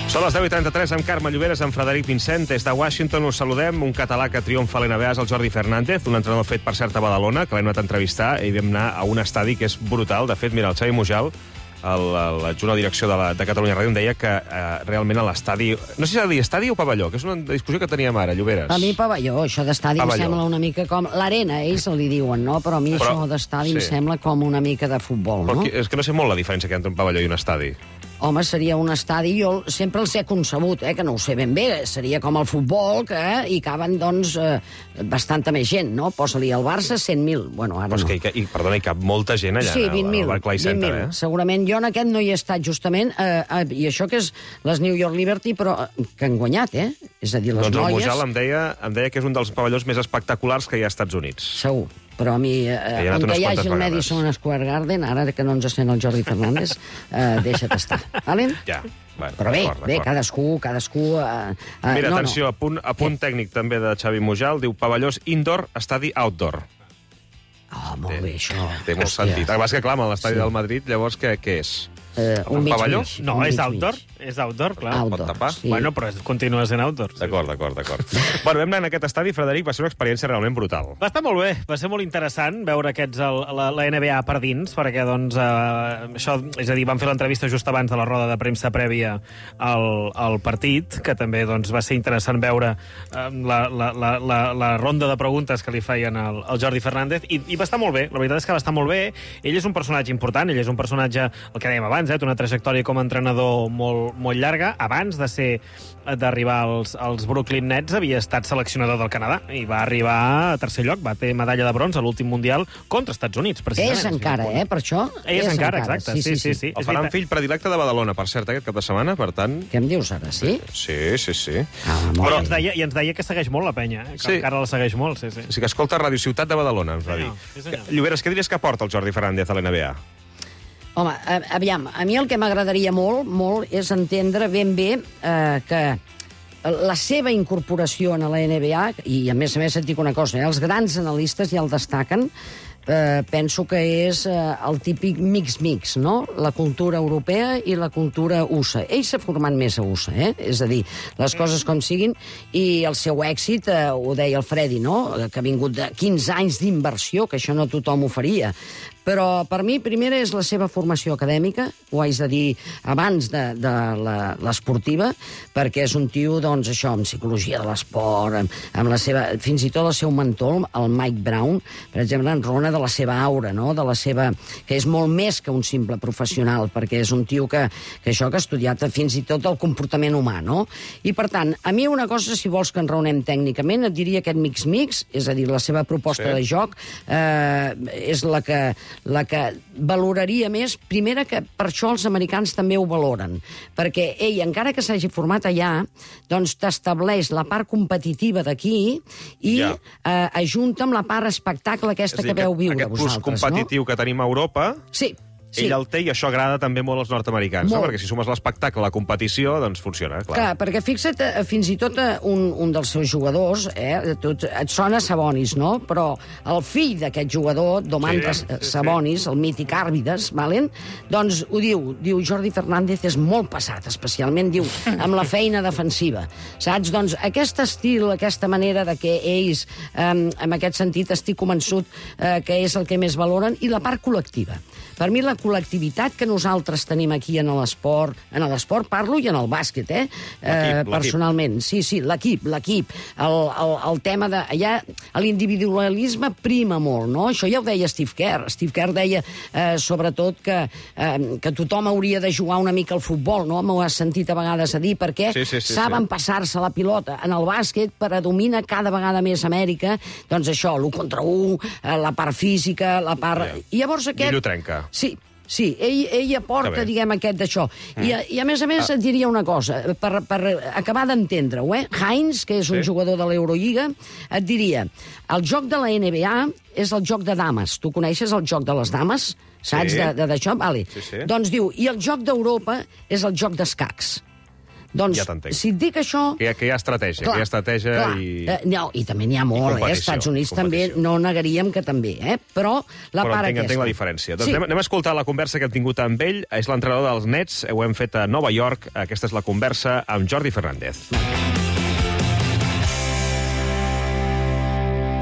Són les 10:33 amb Carme Lloberes, amb Frederic Vincent. Des de Washington us saludem. Un català que triomfa a l'NBA és el Jordi Fernández, un entrenador fet per cert a Badalona, que l'hem anat a entrevistar i vam anar a un estadi que és brutal. De fet, mira, el Xavi Mujal, l'adjunt a direcció de Catalunya Ràdio, em deia que realment a l'estadi... No sé si s'ha de dir estadi o pavelló, que és una discussió que teníem ara, Lloberes. A mi pavelló, això d'estadi em sembla una mica com... L'arena, ells li diuen, no? Però a mi això d'estadi em sembla com una mica de futbol, no? És que no sé molt la diferència que hi ha entre un pavelló i un estadi. Home, seria un estadi, jo sempre els he concebut, que no ho sé ben bé, seria com el futbol, que hi caben, doncs, bastanta més gent, no? Posa-li al Barça 100.000, bueno, ara no. Però és que, perdona, hi cap molta gent allà, sí, 20.000, al Barclays Center, 20.000. Segurament jo en aquest no hi he estat justament, i això que és les New York Liberty, però que han guanyat, És a dir, les noies... Doncs el Mujal em deia que és un dels pavellons més espectaculars que hi ha als Estats Units. Segur. Però a mi, on hi hagi el Madison Square Garden, ara que no ens sent el Jordi Fernández, deixa't estar. Vale? Ja. Bueno, però bé, cadascú... Mira, atenció, a punt tècnic també de Xavi Mujal, diu pavellós indoor, estadi outdoor. Molt bé, això. Té molt sentit. El que passa que, clar, amb l'estadi del Madrid, llavors què és? Un pavelló? No, és outdoor. És outdoor, clar. Outdoor, Pot tapar. sí. Bueno, però continua sent outdoor. D'acord. Bueno, vam anar en aquest estadi, Frederic, va ser una experiència realment brutal. Va estar molt bé, va ser molt interessant veure la NBA per dins, perquè, doncs, això, és a dir, vam fer l'entrevista just abans de la roda de premsa prèvia al partit, que també, doncs, va ser interessant veure la ronda de preguntes que li feien al Jordi Fernández, i va estar molt bé, la veritat és que va estar molt bé. Ell és un personatge important, ell és un personatge, el que dèiem abans, té una trajectòria com a entrenador molt llarga. Abans d'arribar als Brooklyn Nets havia estat seleccionador del Canadà i va arribar a tercer lloc, va tenir medalla de bronze a l'últim Mundial contra Estats Units, precisament. És encara, per això? És encara, exacte. Sí. El faran fill predilecte de Badalona, per cert, aquest cap de setmana, per tant... Què em dius ara, sí? Sí. Però ens deia que segueix molt la penya, que encara la segueix molt, sí. Sí que escolta Ràdio Ciutat de Badalona, ens va dir. Lloberes, què diries que porta el Jordi Fernández a l'NBA? Home, aviam, a mi el que m'agradaria molt és entendre ben bé que la seva incorporació a la NBA, i a més et dic una cosa, els grans analistes ja el destaquen, penso que és el típic mix, no? La cultura europea i la cultura USA. Ell s'ha format més a USA, és a dir, les coses com siguin, i el seu èxit, ho deia el Freddy, no? Que ha vingut de 15 anys d'inversió, que això no tothom ho faria. Però per mi, primera, és la seva formació acadèmica, ho haig de dir abans de l'esportiva, perquè és un tio, doncs, això, amb psicologia de l'esport, amb la seva... Fins i tot el seu mentor, el Mike Brown, per exemple, enrona de la seva aura, no? De la seva... que és molt més que un simple professional, perquè és un tio que ha estudiat fins i tot el comportament humà, no? I, per tant, a mi una cosa, si vols que enraonem tècnicament, et diria aquest mix, és a dir, la seva proposta de joc és la que valoraria més, primera, que per això els americans també ho valoren, perquè ell, encara que s'hagi format allà, doncs t'estableix la part competitiva d'aquí i ajunta amb la part espectacle aquesta que veu viure vosaltres, no? Aquest plus competitiu que tenim a Europa... Sí. Ell el té i això agrada també molt als nord-americans, no? Perquè si sumes l'espectacle a la competició, doncs funciona, clar. Clar, perquè fixa't, fins i tot un dels seus jugadors, et sona Sabonis, no? Però el fill d'aquest jugador, Domantas Sabonis, el mític Àrvides, doncs ho diu Jordi Fernández és molt passat, especialment, diu, amb la feina defensiva. Saps? Doncs aquest estil, aquesta manera de que ells, en aquest sentit, estic convençut que és el que més valoren, i la part col·lectiva. Per mi, la col·lectivitat que nosaltres tenim aquí en l'esport parlo i en el bàsquet, personalment. Sí, l'equip. El tema de... Allà l'individualisme prima molt, no? Això ja ho deia Steve Kerr. Steve Kerr deia, sobretot, que tothom hauria de jugar una mica al futbol, no? M'ho has sentit a vegades a dir, perquè saben passar-se la pilota. En el bàsquet predomina cada vegada més Amèrica, doncs això, l'1 contra 1, la part física, la part... I llavors aquest... Ell ho trenca. Sí, ell aporta, diguem, aquest d'això. I a més et diria una cosa, per acabar d'entendre-ho, Hines, que és un jugador de l'Eurolliga, et diria, el joc de la NBA és el joc de dames. Tu coneixes el joc de les dames? Saps d'això? Vale. Doncs diu, i el joc d'Europa és el joc d'escacs. Doncs, si et dic això... Que hi ha estratègia, No, i també n'hi ha molt, als Estats Units també, no negaríem que també, però la part aquesta... Però entenc la diferència. Doncs anem a escoltar la conversa que hem tingut amb ell. És l'entrenador dels Nets, ho hem fet a Nova York. Aquesta és la conversa amb Jordi Fernández.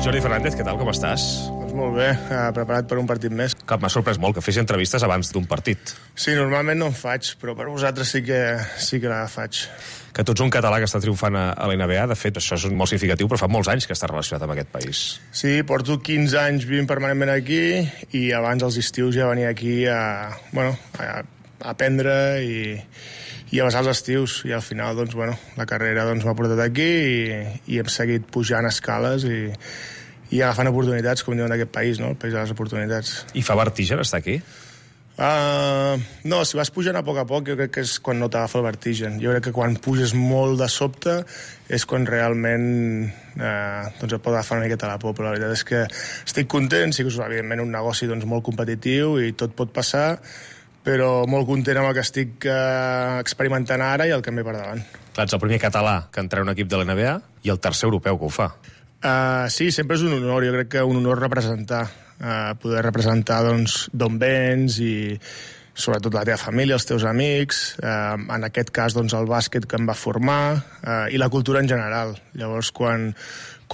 Jordi Fernández, què tal, com estàs? Doncs molt bé, preparat per un partit més. Que m'ha sorprès molt que fes entrevistes abans d'un partit. Sí, normalment no en faig, però per vosaltres sí que la faig. Que tu ets un català que està triomfant a l'NBA, de fet, això és molt significatiu, però fa molts anys que està relacionat amb aquest país. Sí, porto 15 anys vivint permanentment aquí, i abans als estius ja venia aquí a aprendre i a passar els estius, i al final, doncs, la carrera m'ha portat aquí i hem seguit pujant escales i agafant oportunitats, com diuen d'aquest país, no? El país de les oportunitats. I fa vertigen estar aquí? No, si vas pujant a poc, jo crec que és quan no t'agafa el vertigen. Jo crec que quan puges molt de sobte és quan realment et pot agafar una miqueta la por, però la veritat és que estic content, sí que és evidentment un negoci molt competitiu i tot pot passar, però molt content amb el que estic experimentant ara i el que em ve per davant. Clar, ets el primer català que entra en un equip de l'NBA i el tercer europeu que ho fa. Sí, sempre és un honor, jo crec que un honor representar, poder representar d'on vens i sobretot la teva família, els teus amics, en aquest cas doncs, el bàsquet que em va formar i la cultura en general. Llavors, quan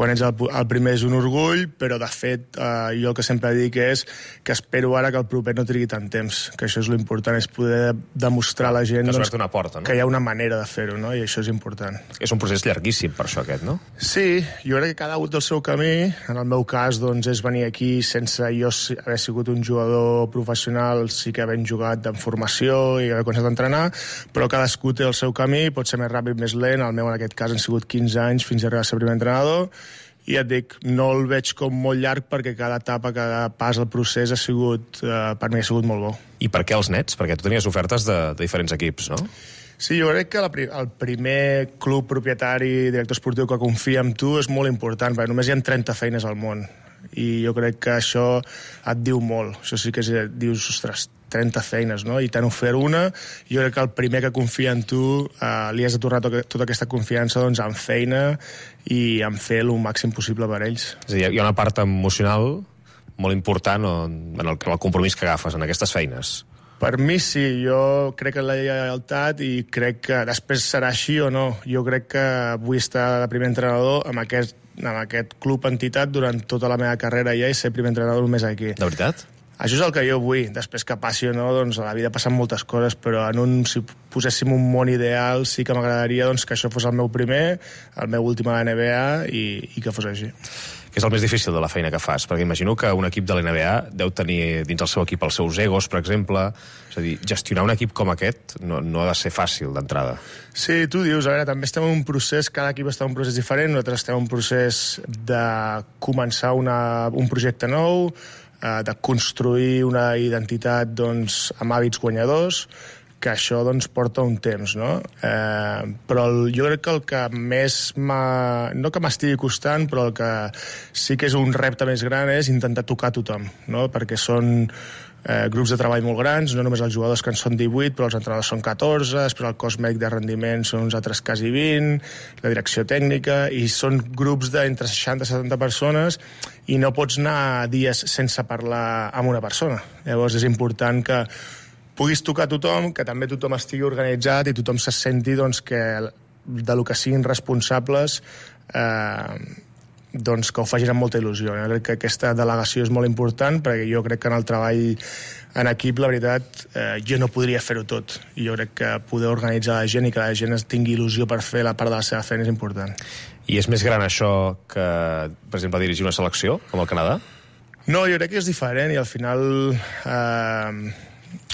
ets el primer és un orgull, però de fet jo el que sempre dic és que espero ara que el proper no trigui tant temps, que això és l'important, és poder demostrar a la gent que has obert una porta, no? Que hi ha una manera de fer-ho, no? I això és important. És un procés llarguíssim per això aquest, no? Sí, jo crec que cada un del seu camí. En el meu cas doncs, és venir aquí sense jo haver sigut un jugador professional, sí que havent jugat en formació i haver començat a entrenar, però cadascú té el seu camí, pot ser més ràpid, més lent. El meu en aquest cas han sigut 15 anys fins a arribar a ser primer entrenador. I et dic, no el veig com molt llarg perquè cada etapa, cada pas del procés ha sigut, per mi ha sigut molt bo. I per què els Nets? Perquè tu tenies ofertes de diferents equips, no? Sí, jo crec que el primer club propietari, director esportiu que confia en tu és molt important, perquè només hi ha 30 feines al món. I jo crec que això et diu molt. Això sí que dius, ostres, 30 feines, no? I t'han ofert una. Jo crec que el primer que confia en tu li has de tornar tota aquesta confiança doncs, en feina i en fer el màxim possible per ells. És a dir, hi ha una part emocional molt important en el compromís que agafes en aquestes feines. Per mi sí, jo crec en la lleialtat i crec que després serà així o no. Jo crec que vull estar de primer entrenador amb aquest club entitat durant tota la meva carrera ja i ser primer entrenador només aquí. De veritat? Això és el que jo vull. Després que passi o no, doncs a la vida passen moltes coses, però si poséssim un món ideal sí que m'agradaria doncs, que això fos el meu primer, el meu últim a la NBA i que fos així. Què és el més difícil de la feina que fas? Perquè imagino que un equip de la NBA deu tenir dins el seu equip els seus egos, per exemple. És a dir, gestionar un equip com aquest no ha de ser fàcil d'entrada. Sí, tu dius, a veure, també estem en un procés, cada equip està en un procés diferent, nosaltres estem en un procés de començar un projecte nou, de construir una identitat doncs, amb hàbits guanyadors, que això doncs, porta un temps, no? Però jo crec que el que més no que m'estigui costant, però el que sí que és un repte més gran és intentar tocar tothom, no? Perquè són grups de treball molt grans, no només els jugadors que en són 18, però els entrenadors són 14, després el cos mèdic de rendiment són uns altres quasi 20, la direcció tècnica, i són grups d'entre 60 i 70 persones, i no pots anar dies sense parlar amb una persona. Llavors és important que puguis tocar tothom, que també tothom estigui organitzat i tothom se senti doncs, que de lo que siguin responsables doncs que ho facin amb molta il·lusió. Jo crec que aquesta delegació és molt important perquè jo crec que en el treball en equip, la veritat, jo no podria fer-ho tot. I jo crec que poder organitzar la gent i que la gent tingui il·lusió per fer la part de la seva feina és important. I és més gran això que, per exemple, dirigir una selecció, com el Canadà? No, jo crec que és diferent i al final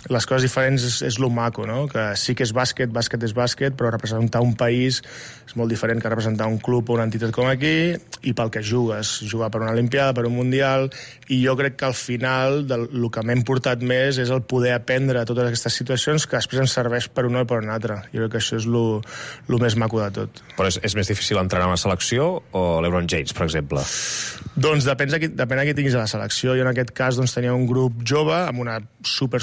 les coses diferents és lo maco, no? Que sí que és bàsquet és bàsquet, però representar un país és molt diferent que representar un club o una entitat com aquí, i pel que jugues, jugar per una Olimpiada, per un Mundial, i jo crec que al final el que m'he portat més és el poder aprendre totes aquestes situacions que després ens serveix per una o per una altra. Jo crec que això és lo més maco de tot. Però és més difícil entrenar una selecció o l'Ebron James, per exemple? Doncs depèn a qui tinguis a la selecció. Jo en aquest cas doncs, tenia un grup jove amb una super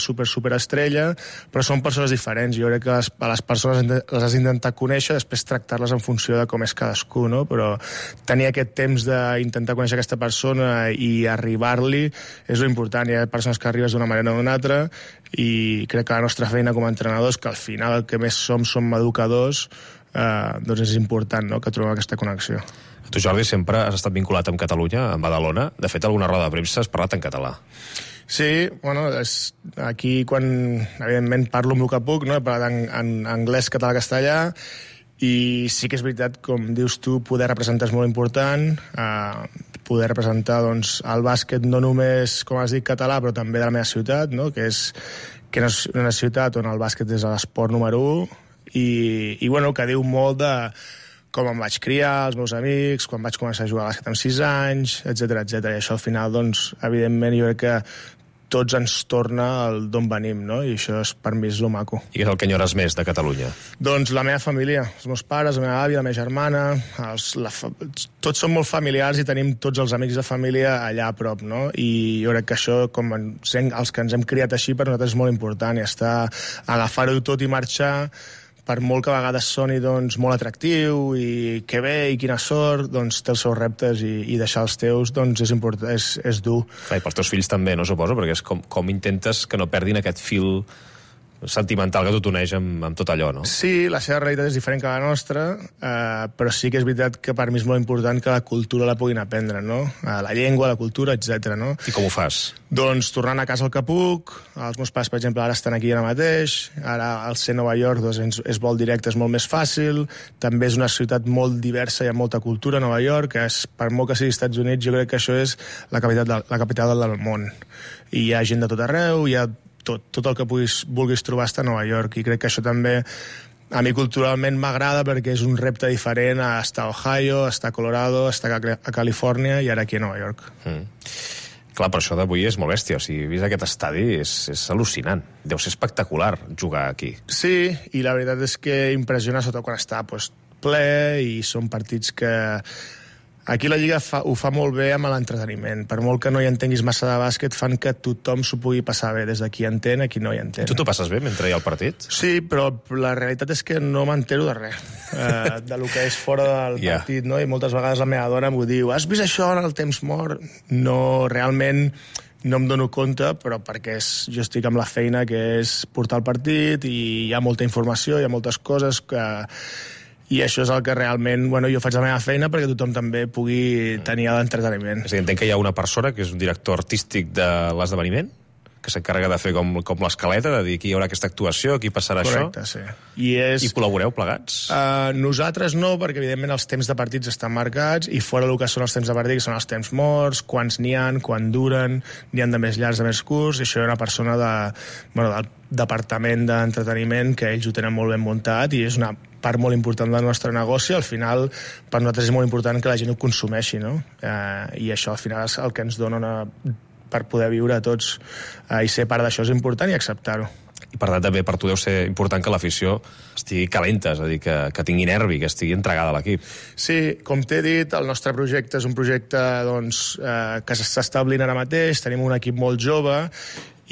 estrella, però són persones diferents. Jo crec que a les persones les has d'intentar conèixer, després tractar-les en funció de com és cadascú, no? Però tenir aquest temps d'intentar conèixer aquesta persona i arribar-li és lo important. Hi ha persones que arribes d'una manera o d'una altra i crec que la nostra feina com a entrenadors, que al final el que més som educadors, doncs és important, no?, que trobem aquesta connexió. Tu, Jordi, sempre has estat vinculat amb Catalunya, amb Badalona. De fet, alguna roda de premsa has parlat en català. Sí, bueno, aquí quan, evidentment, parlo amb el que puc, no? He parlat en anglès, català, castellà, i sí que és veritat, com dius tu, poder representar és molt important, poder representar doncs, el bàsquet no només, com has dit, català, però també de la meva ciutat, no? Que és una ciutat on el bàsquet és l'esport número 1, i bueno, que diu molt de com em vaig criar, els meus amics, quan vaig començar a jugar a bàsquet amb 6 anys, etc. I això al final, doncs, evidentment, jo crec que tots ens torna d'on venim, no? I això per mi és lo maco. I què és el que enyores més de Catalunya? Doncs la meva família, els meus pares, la meva àvia, la meva germana, tots som molt familiars i tenim tots els amics de família allà a prop, no? I jo crec que això, com els que ens hem criat així, per nosaltres és molt important, i agafar-ho tot i marxar, per molt que a vegades soni doncs, molt atractiu i que bé i quina sort, doncs té els seus reptes i deixar els teus doncs, és important, és dur. Clar, i pels teus fills també, no suposo, perquè és com intentes que no perdin aquest fil sentimental que tu t'uneix amb tot allò, no? Sí, la seva realitat és diferent que la nostra, però sí que és veritat que per mi és molt important que la cultura la puguin aprendre, no? La llengua, la cultura, etc. No? I com ho fas? Doncs tornant a casa al que puc. Els meus pares, per exemple, ara estan aquí ara mateix. Ara, al ser Nova York, doncs, és vol directe, és molt més fàcil. També és una ciutat molt diversa, hi ha molta cultura a Nova York, que és, per molt que sigui Estats Units, jo crec que això és la capital del món. I hi ha gent de tot arreu, hi ha tot el que vulguis trobar està a Nova York, i crec que això també a mi culturalment m'agrada perquè és un repte diferent a estar a Ohio, a estar a Colorado, a estar a Califòrnia i ara aquí a Nova York. Clar, però això d'avui és molt bèstia. O sigui, vist aquest estadi és al·lucinant. Deu ser espectacular jugar aquí. Sí, i la veritat és que impressiona sobretot quan està ple i són partits que... Aquí la Lliga ho fa molt bé amb l'entreteniment. Per molt que no hi entenguis massa de bàsquet, fan que tothom s'ho pugui passar bé. Des d'aquí entén, aquí no hi entén. Tu t'ho passes bé mentre hi ha el partit? Sí, però la realitat és que no m'entero de res, de lo que és fora del partit, no? I moltes vegades la meva dona m'ho diu, has vist això en el temps mort? No, realment no em dono compte, però perquè jo estic amb la feina que és portar el partit i hi ha molta informació, hi ha moltes coses que... I això és el que realment, jo faig la meva feina perquè tothom també pugui tenir l'entreteniment. És a dir, entenc que hi ha una persona que és un director artístic de l'esdeveniment, que s'encarrega de fer com l'escaleta, de dir aquí hi haurà aquesta actuació, aquí passarà Correcte, això. Sí. I col·laboreu plegats? Nosaltres no, perquè evidentment els temps de partits estan marcats i fora el que són els temps de partit, que són els temps morts, quants n'hi ha, quan duren, n'hi ha de més llargs, de més curts, i això hi ha una persona del departament d'entreteniment que ells ho tenen molt ben muntat i és una part molt important del nostre negoci. Al final, per nosaltres és molt important que la gent ho consumeixi, no? I això al final és el que ens dona per poder viure a tots i ser part d'això és important i acceptar-ho. I per tant també per tu deu ser important que l'afició estigui calenta, és a dir, que tingui nervi, que estigui entregada a l'equip. Sí, com t'he dit, el nostre projecte és un projecte que s'està establint ara mateix, tenim un equip molt jove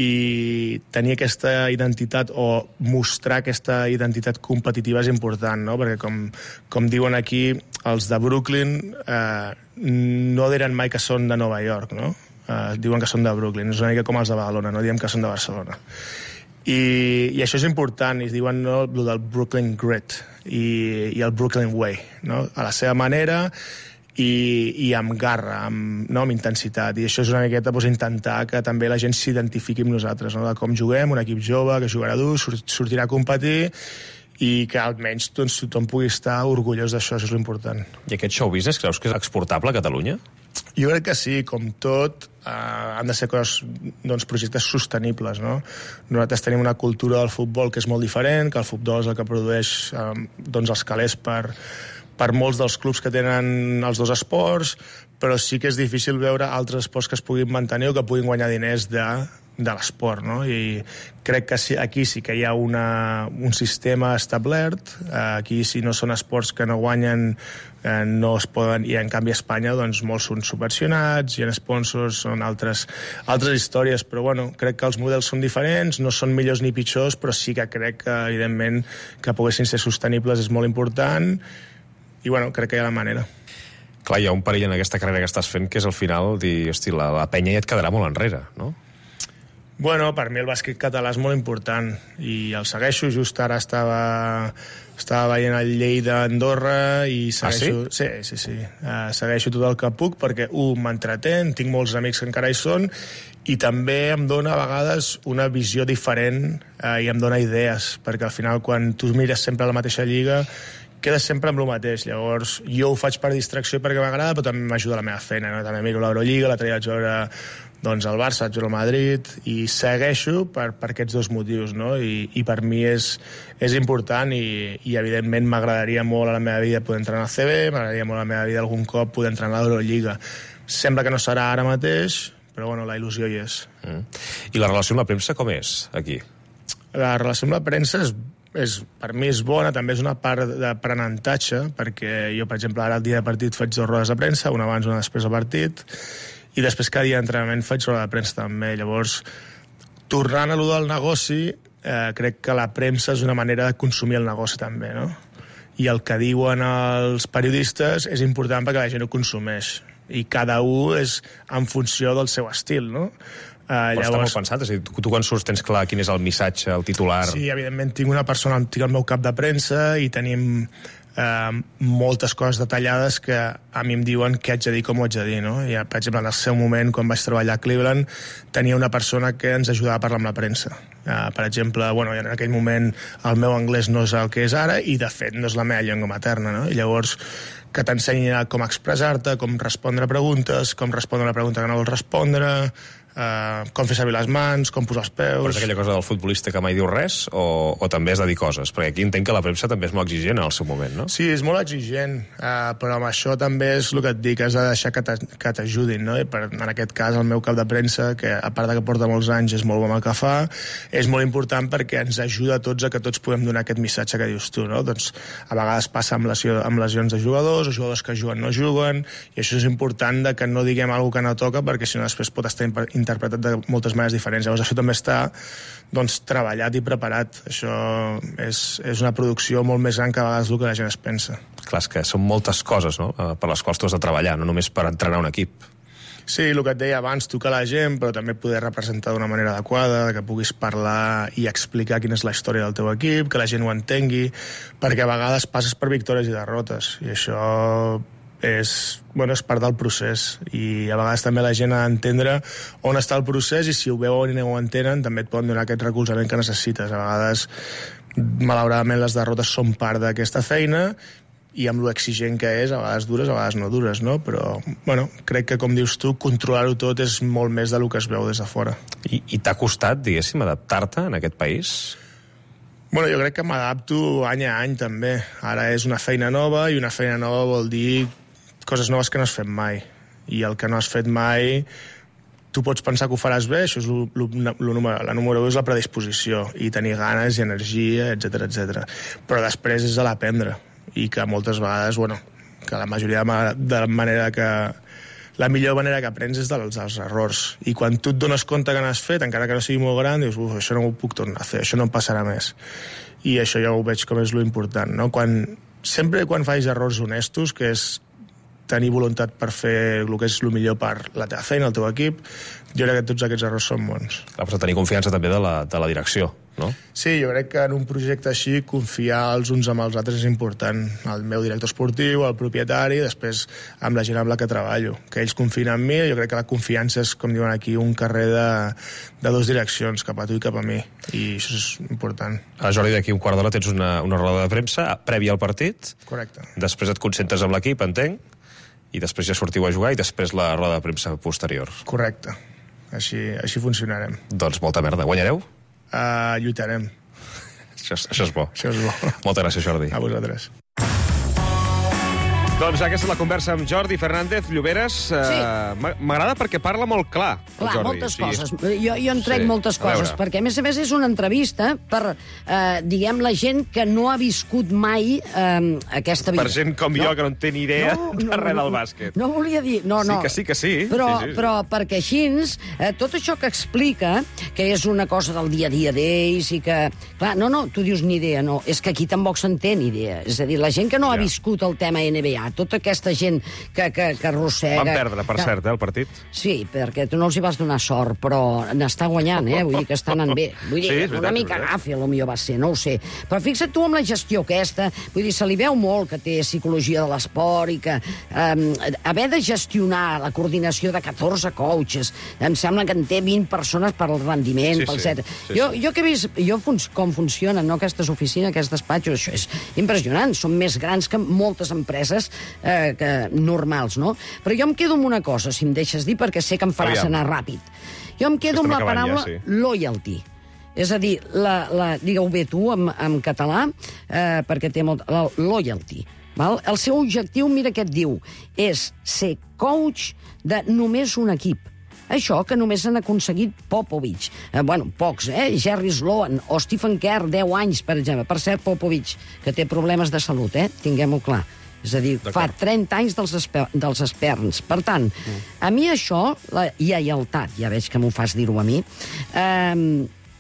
i tenir aquesta identitat o mostrar aquesta identitat competitiva és important, no? Perquè com diuen aquí, els de Brooklyn no diran mai que són de Nova York, no? Diuen que són de Brooklyn, és una mica com els de Badalona, no diem que són de Barcelona. I això és important, i es diuen el del Brooklyn Grit i el Brooklyn Way, no? A la seva manera i amb garra, amb intensitat, i això és una miqueta intentar que també la gent s'identifiqui amb nosaltres, no? De com juguem, un equip jove que jugarà dur, sortirà a competir i que almenys tothom pugui estar orgullós d'això, això és l'important. I aquest show business creus que és exportable a Catalunya? Jo crec que sí, com tot, han de ser coses, projectes sostenibles, no? Nosaltres tenim una cultura del futbol que és molt diferent, que el futbol és el que produeix els calés per molts dels clubs que tenen els dos esports, però sí que és difícil veure altres esports que es puguin mantenir o que puguin guanyar diners de l'esport, no? I crec que sí, aquí sí que hi ha un sistema establert, aquí si no són esports que no guanyen no es poden, i en canvi a Espanya molts són subvencionats, hi ha sponsors, són altres històries, però crec que els models són diferents, no són millors ni pitjors, però sí que crec que evidentment que poguessin ser sostenibles és molt important i crec que hi ha la manera. Clar, hi ha un perill en aquesta carrera que estàs fent que és al final dir, hosti, la penya ja et quedarà molt enrere, no? Per mi el bàsquet català és molt important i el segueixo, just ara estava veient el Lleida Andorra i segueixo... Sí? Sí. Segueixo tot el que puc perquè, m'entretén, tinc molts amics que encara hi són i també em dona a vegades una visió diferent i em dona idees, perquè al final quan tu mires sempre a la mateixa lliga quedes sempre amb el mateix. Llavors, jo ho faig per distracció perquè m'agrada, però també m'ajuda la meva feina, no? També miro l'Eurolliga, l'altre dia vaig veure el Barça, vaig veure el Madrid, i segueixo per aquests dos motius, no? I per mi és important i evidentment m'agradaria molt a la meva vida poder entrar a la CB, m'agradaria molt a la meva vida algun cop poder entrar a l'Eurolliga. Sembla que no serà ara mateix, però la il·lusió hi és. I la relació amb la premsa com és, aquí? La relació amb la premsa per mi és bona, també és una part d'aprenentatge, perquè jo, per exemple, ara el dia de partit faig 2 rodes de premsa, una abans, una després del partit, i després cada dia d'entrenament faig roda de premsa també. Llavors, tornant a allò del negoci, crec que la premsa és una manera de consumir el negoci també, no? I el que diuen els periodistes és important perquè la gent ho consumeix. I cada un és en funció del seu estil, no? Però està molt pensat, és a dir, tu quan surts tens clar quin és el missatge, el titular... Sí, evidentment tinc una persona, tinc el meu cap de premsa i tenim moltes coses detallades que a mi em diuen què haig de dir, com ho haig de dir, no? I, per exemple, en el seu moment, quan vaig treballar a Cleveland, tenia una persona que ens ajudava a parlar amb la premsa. Per exemple, bueno, en aquell moment el meu anglès no és el que és ara i, de fet, no és la meva llengua materna, no? I llavors que t'ensenyi com expressar-te, com respondre a preguntes, com respondre a una pregunta que no vols respondre, com fer servir les mans, com posar els peus... Però és aquella cosa del futbolista que mai diu res o també has de dir coses? Perquè aquí entenc que la premsa també és molt exigent en el seu moment, no? Sí, és molt exigent, però amb això també és el que et dic, has de deixar que t'ajudin, no? I en aquest cas, el meu cap de premsa, que a part de que porta molts anys, és molt bon el que fa, és molt important perquè ens ajuda a tots a que tots podem donar aquest missatge que dius tu, no? Doncs a vegades passa amb lesions de jugadors, o jugadors que juguen no juguen, i això és important de que no diguem alguna que no toca, perquè si no després pot estar interpretat de moltes maneres diferents. Llavors això també està treballat i preparat. Això és una producció molt més gran que a vegades el que la gent es pensa. Clar, és que són moltes coses, no?, per les quals tu has de treballar, no només per entrenar un equip. Sí, el que et deia abans, tocar la gent, però també poder representar d'una manera adequada, que puguis parlar i explicar quina és la història del teu equip, que la gent ho entengui, perquè a vegades passes per victòries i derrotes, i això és part del procés, i a vegades també la gent ha d'entendre on està el procés, i si ho veuen i no ho entenen també et poden donar aquest recolzament que necessites. A vegades, malauradament, les derrotes són part d'aquesta feina, i amb lo exigent que és, a vegades dures, a vegades no dures, no? Però, crec que, com dius tu, controlar-ho tot és molt més del que es veu des de fora. I t'ha costat, diguéssim, adaptar-te en aquest país? Jo crec que m'adapto any a any, també. Ara és una feina nova, i una feina nova vol dir coses noves que no has fet mai. I el que no has fet mai, tu pots pensar que ho faràs bé, això és la número 1, és la predisposició, i tenir ganes i energia, etc etc. Però després és a l'aprendre, i que moltes vegades, que la majoria de la manera que... La millor manera que aprens és dels errors. I quan tu et dones compte que n'has fet, encara que no sigui molt gran, dius, això no ho puc tornar a fer, això no em passarà més. I això ja ho veig com és lo important, no? Sempre quan facis errors honestos, que és tenir voluntat per fer el que és el millor per la teva feina, el teu equip, jo crec que tots aquests errors són bons. Clar, però tenir confiança també de la direcció, no? Sí, jo crec que en un projecte així confiar els uns amb els altres és important. El meu director esportiu, el propietari, després amb la gent amb la que treballo. Que ells confien en mi, jo crec que la confiança és, com diuen aquí, un carrer de dues direccions, cap a tu i cap a mi. I això és important. Jordi, d'aquí un quart d'hora tens una roda de premsa prèvia al partit. Correcte. Després et concentres amb l'equip, entenc, i després ja sortiu a jugar i després la roda de premsa posterior. Correcte. Així funcionarem. Doncs molta merda. Guanyareu? Lluitarem. Això és bo. Això és bo. Moltes gràcies, Jordi. A vosaltres. Doncs aquesta és la conversa amb Jordi Fernández Lloberes. Sí. M'agrada perquè parla molt clar, el Jordi. Moltes coses. Jo en trec moltes coses, perquè a més és una entrevista per, diguem, la gent que no ha viscut mai aquesta vida. Per gent com jo, que no en té ni idea de res del bàsquet. No volia dir... No. Sí que sí. Però perquè així, tot això que explica, que és una cosa del dia a dia d'ells i que... Clar, tu dius ni idea, no. És que aquí tampoc se'n té ni idea. És a dir, la gent que no ha viscut el tema NBA, tota aquesta gent que arrossega... Van perdre, per cert, el partit. Sí, perquè tu no els hi vas donar sort, però n'està guanyant, vull dir que està anant bé. Vull dir, una mica gafe, potser va ser, no ho sé. Però fixa't tu amb la gestió aquesta, vull dir, se li veu molt que té psicologia de l'esport i que haver de gestionar la coordinació de 14 coaches, em sembla que en té 20 persones per al rendiment, pel set. Jo que he vist com funcionen aquestes oficines, aquests despatxos, això és impressionant, són més grans que moltes empreses normals, no? Però jo em quedo amb una cosa, si em deixes dir, perquè sé que em faràs anar ràpid. Jo em quedo amb la paraula loyalty. És a dir, digue-ho bé tu en català, perquè té molt... Loyalty. El seu objectiu, mira què et diu, és ser coach de només un equip. Això que només han aconseguit Popovich. Pocs, Jerry Sloan o Stephen Kerr, 10 anys, per exemple. Per cert, Popovich, que té problemes de salut, tinguem-ho clar. És a dir, fa 30 anys dels esperns. Per tant, a mi això, la lleialtat, ja veig que m'ho fas dir-ho a mi,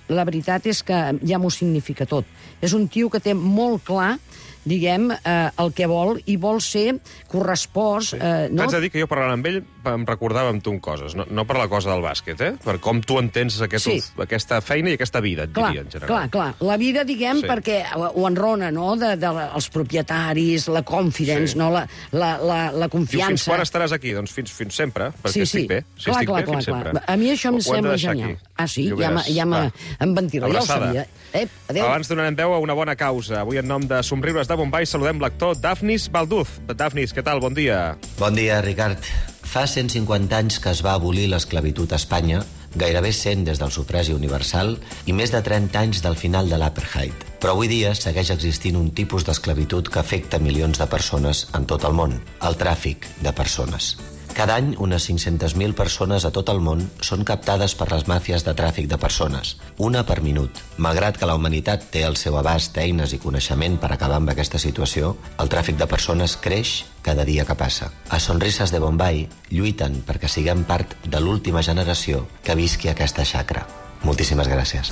la veritat és que ja m'ho significa tot. És un tio que té molt clar, diguem, el que vol, i vol ser correspost... T'haig de dir que jo parlant amb ell em recordava amb tu coses, no per la cosa del bàsquet, per com tu entens aquesta feina i aquesta vida, et diria, en general. Clar. La vida, diguem, perquè ho enrona, no?, dels propietaris, la confidence, no?, la confiança. Fins quan estaràs aquí? Doncs fins sempre, perquè estic bé. Si estic bé, fins sempre. A mi això em sembla genial. Ah, sí? Ja em ventilo, ja ho sabia. Adéu. Abans donarem veu a una bona causa. Avui, en nom de Somriures de Bombai, saludem l'actor Dafnis Balduz. Dafnis, què tal? Bon dia. Bon dia, Ricard. Fa 150 anys que es va abolir l'esclavitud a Espanya, gairebé 100 des del sufragi universal i més de 30 anys del final de l'apartheid. Però avui dia segueix existint un tipus d'esclavitud que afecta milions de persones en tot el món, el tràfic de persones. Cada any, unes 500.000 persones a tot el món són captades per les màfies de tràfic de persones, una per minut. Malgrat que la humanitat té al seu abast eines i coneixement per acabar amb aquesta situació, el tràfic de persones creix cada dia que passa. A Sonrises de Bombai lluiten perquè siguem part de l'última generació que visqui aquesta xacra. Moltíssimes gràcies.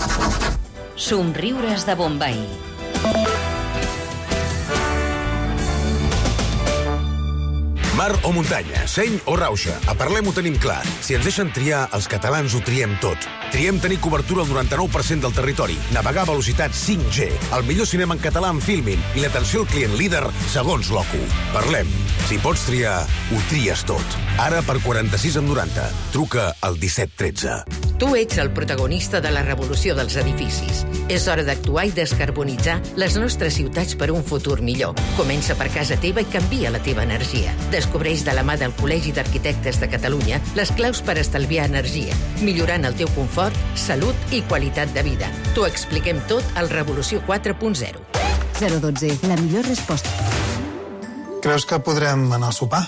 Somriures de Bombai. Mar o muntanya, seny o rauxa, a Parlem ho tenim clar. Si ens deixen triar, els catalans ho triem tot. Triem tenir cobertura al 99% del territori, navegar a velocitat 5G, el millor cinema en català en Filmin i l'atenció al client líder segons l'OCU. Parlem. Si pots triar, ho tries tot. Ara per 46,90. Truca al 1713. Tu ets el protagonista de la revolució dels edificis. És hora d'actuar i descarbonitzar les nostres ciutats per un futur millor. Comença per casa teva i canvia la teva energia. Descobreix de la mà del Col·legi d'Arquitectes de Catalunya les claus per estalviar energia, millorant el teu confort, salut i qualitat de vida. T'ho expliquem tot al Revolució 4.0. 012, la millor resposta. Creus que podrem anar a sopar?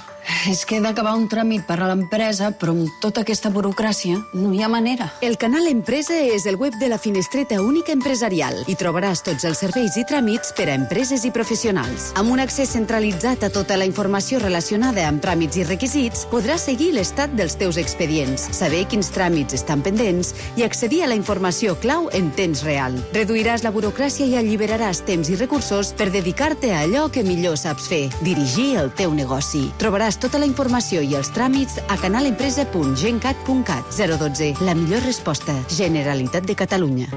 És que he d'acabar un tràmit per a l'empresa, però amb tota aquesta burocràcia no hi ha manera. El canal Empresa és el web de la Finestreta Única Empresarial. Hi trobaràs tots els serveis i tràmits per a empreses i professionals. Amb un accés centralitzat a tota la informació relacionada amb tràmits i requisits, podràs seguir l'estat dels teus expedients, saber quins tràmits estan pendents i accedir a la informació clau en temps real. Reduiràs la burocràcia i alliberaràs temps i recursos per dedicar-te a allò que millor saps fer, dirigir el teu negoci. Trobaràs tota la informació i els tràmits a canalempresa.gencat.cat. 012, la millor resposta. Generalitat de Catalunya.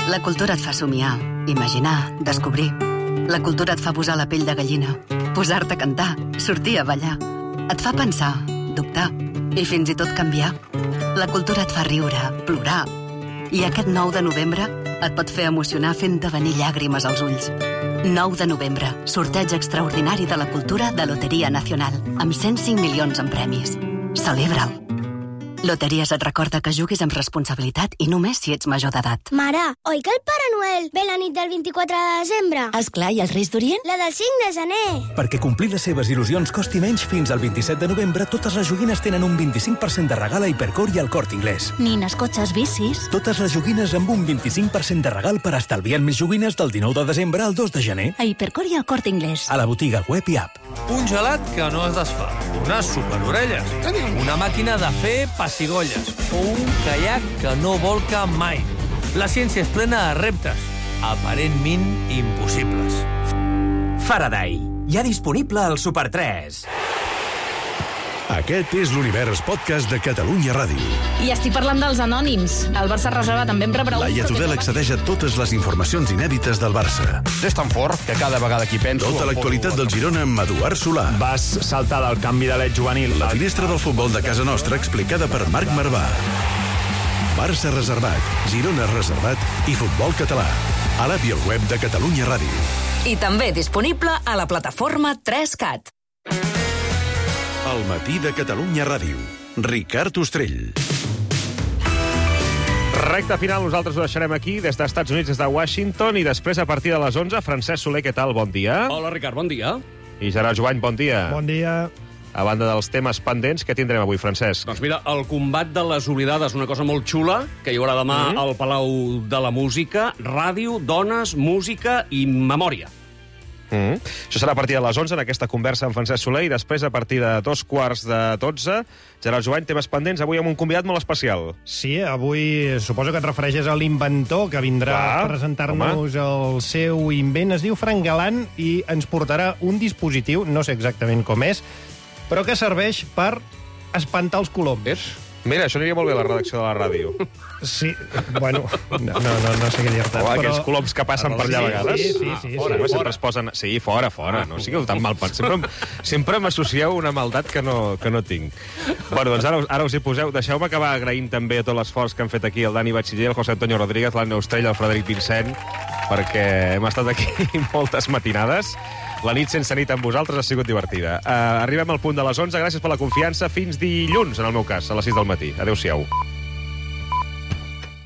La cultura et fa somiar, imaginar, descobrir. La cultura et fa posar la pell de gallina, posar-te a cantar, sortir a ballar. Et fa pensar, dubtar i fins i tot canviar. La cultura et fa riure, plorar. I aquest 9 de novembre et pot fer emocionar fent-te venir llàgrimes als ulls. 9 de novembre, sorteig extraordinari de la cultura de Loteria Nacional, amb 105 milions en premis. Celebra'l! Loteries et recorda que juguis amb responsabilitat i només si ets major d'edat. Mare, oi que el Pare Noel ve la nit del 24 de desembre? Esclar, i els Reis d'Orient? La del 5 de gener. Perquè complir les seves il·lusions costi menys fins al 27 de novembre, totes les joguines tenen un 25% de regal a Hipercor i al Corte Inglés. Nines, cotxes, bicis... Totes les joguines amb un 25% de regal per estalviar més joguines del 19 de desembre al 2 de gener. A Hipercor i al Corte Inglés. A la botiga web i app. Un gelat que no es desfà, unes superorelles, una màquina de fer pessigolles o un caiac que no volca mai. La ciència és plena de reptes, aparentment impossibles. Faraday, ja disponible al Super 3. Aquest és l'Univers Podcast de Catalunya Ràdio. I estic parlant dels anònims. El Barça reserva també em rebrà... Laia Tudel accedeix a totes les informacions inèdites del Barça. És tan fort que cada vegada que hi penso... Tota l'actualitat del Girona amb Eduard Solà. Vas saltar del canvi de led juvenil. La finestra del futbol de casa nostra explicada per Marc Marvà. Barça reservat, Girona reservat i futbol català. A l'app i al web de Catalunya Ràdio. I també disponible a la plataforma 3CAT. El matí de Catalunya Ràdio. Ricard Ostrell. Recte final, nosaltres ho deixarem aquí, des dels Estats Units, des de Washington, i després, a partir de les 11, Francesc Soler, què tal? Bon dia. Hola, Ricard, bon dia. I Gerard Jovany, bon dia. Bon dia. A banda dels temes pendents, què tindrem avui, Francesc? Doncs mira, el combat de les oblidades, una cosa molt xula, que hi haurà demà al Palau de la Música, ràdio, dones, música i memòria. Això serà a partir de les 11, en aquesta conversa amb Francesc Soler, i després, a partir de 2:15, Gerard Jovany, temes pendents, avui amb un convidat molt especial. Sí, avui suposo que et refereixes a l'inventor que vindrà a presentar-nos el seu invent. Es diu Frank Galant i ens portarà un dispositiu, no sé exactament com és, però que serveix per espantar els coloms. Mira, això aniria molt bé a la redacció de la ràdio. Sí, bueno, no sé què dir-te. Home, aquells coloms que passen per allà a vegades. Sí. Sempre es posen... Sí, fora. No sigueu tan mal pensats. Sempre m'associeu una maldat que no tinc. Bueno, doncs ara us hi poseu. Deixeu-me acabar agraint també a tot l'esforç que han fet aquí el Dani Batxiller, el José Antonio Rodríguez, l'Anna Ostrell, el Frederic Vincent, perquè hem estat aquí moltes matinades. La nit sense nit amb vosaltres ha sigut divertida. Arribem al punt de les 11. Gràcies per la confiança. Fins dilluns, en el meu cas, a les 6 del matí. Adéu-siau.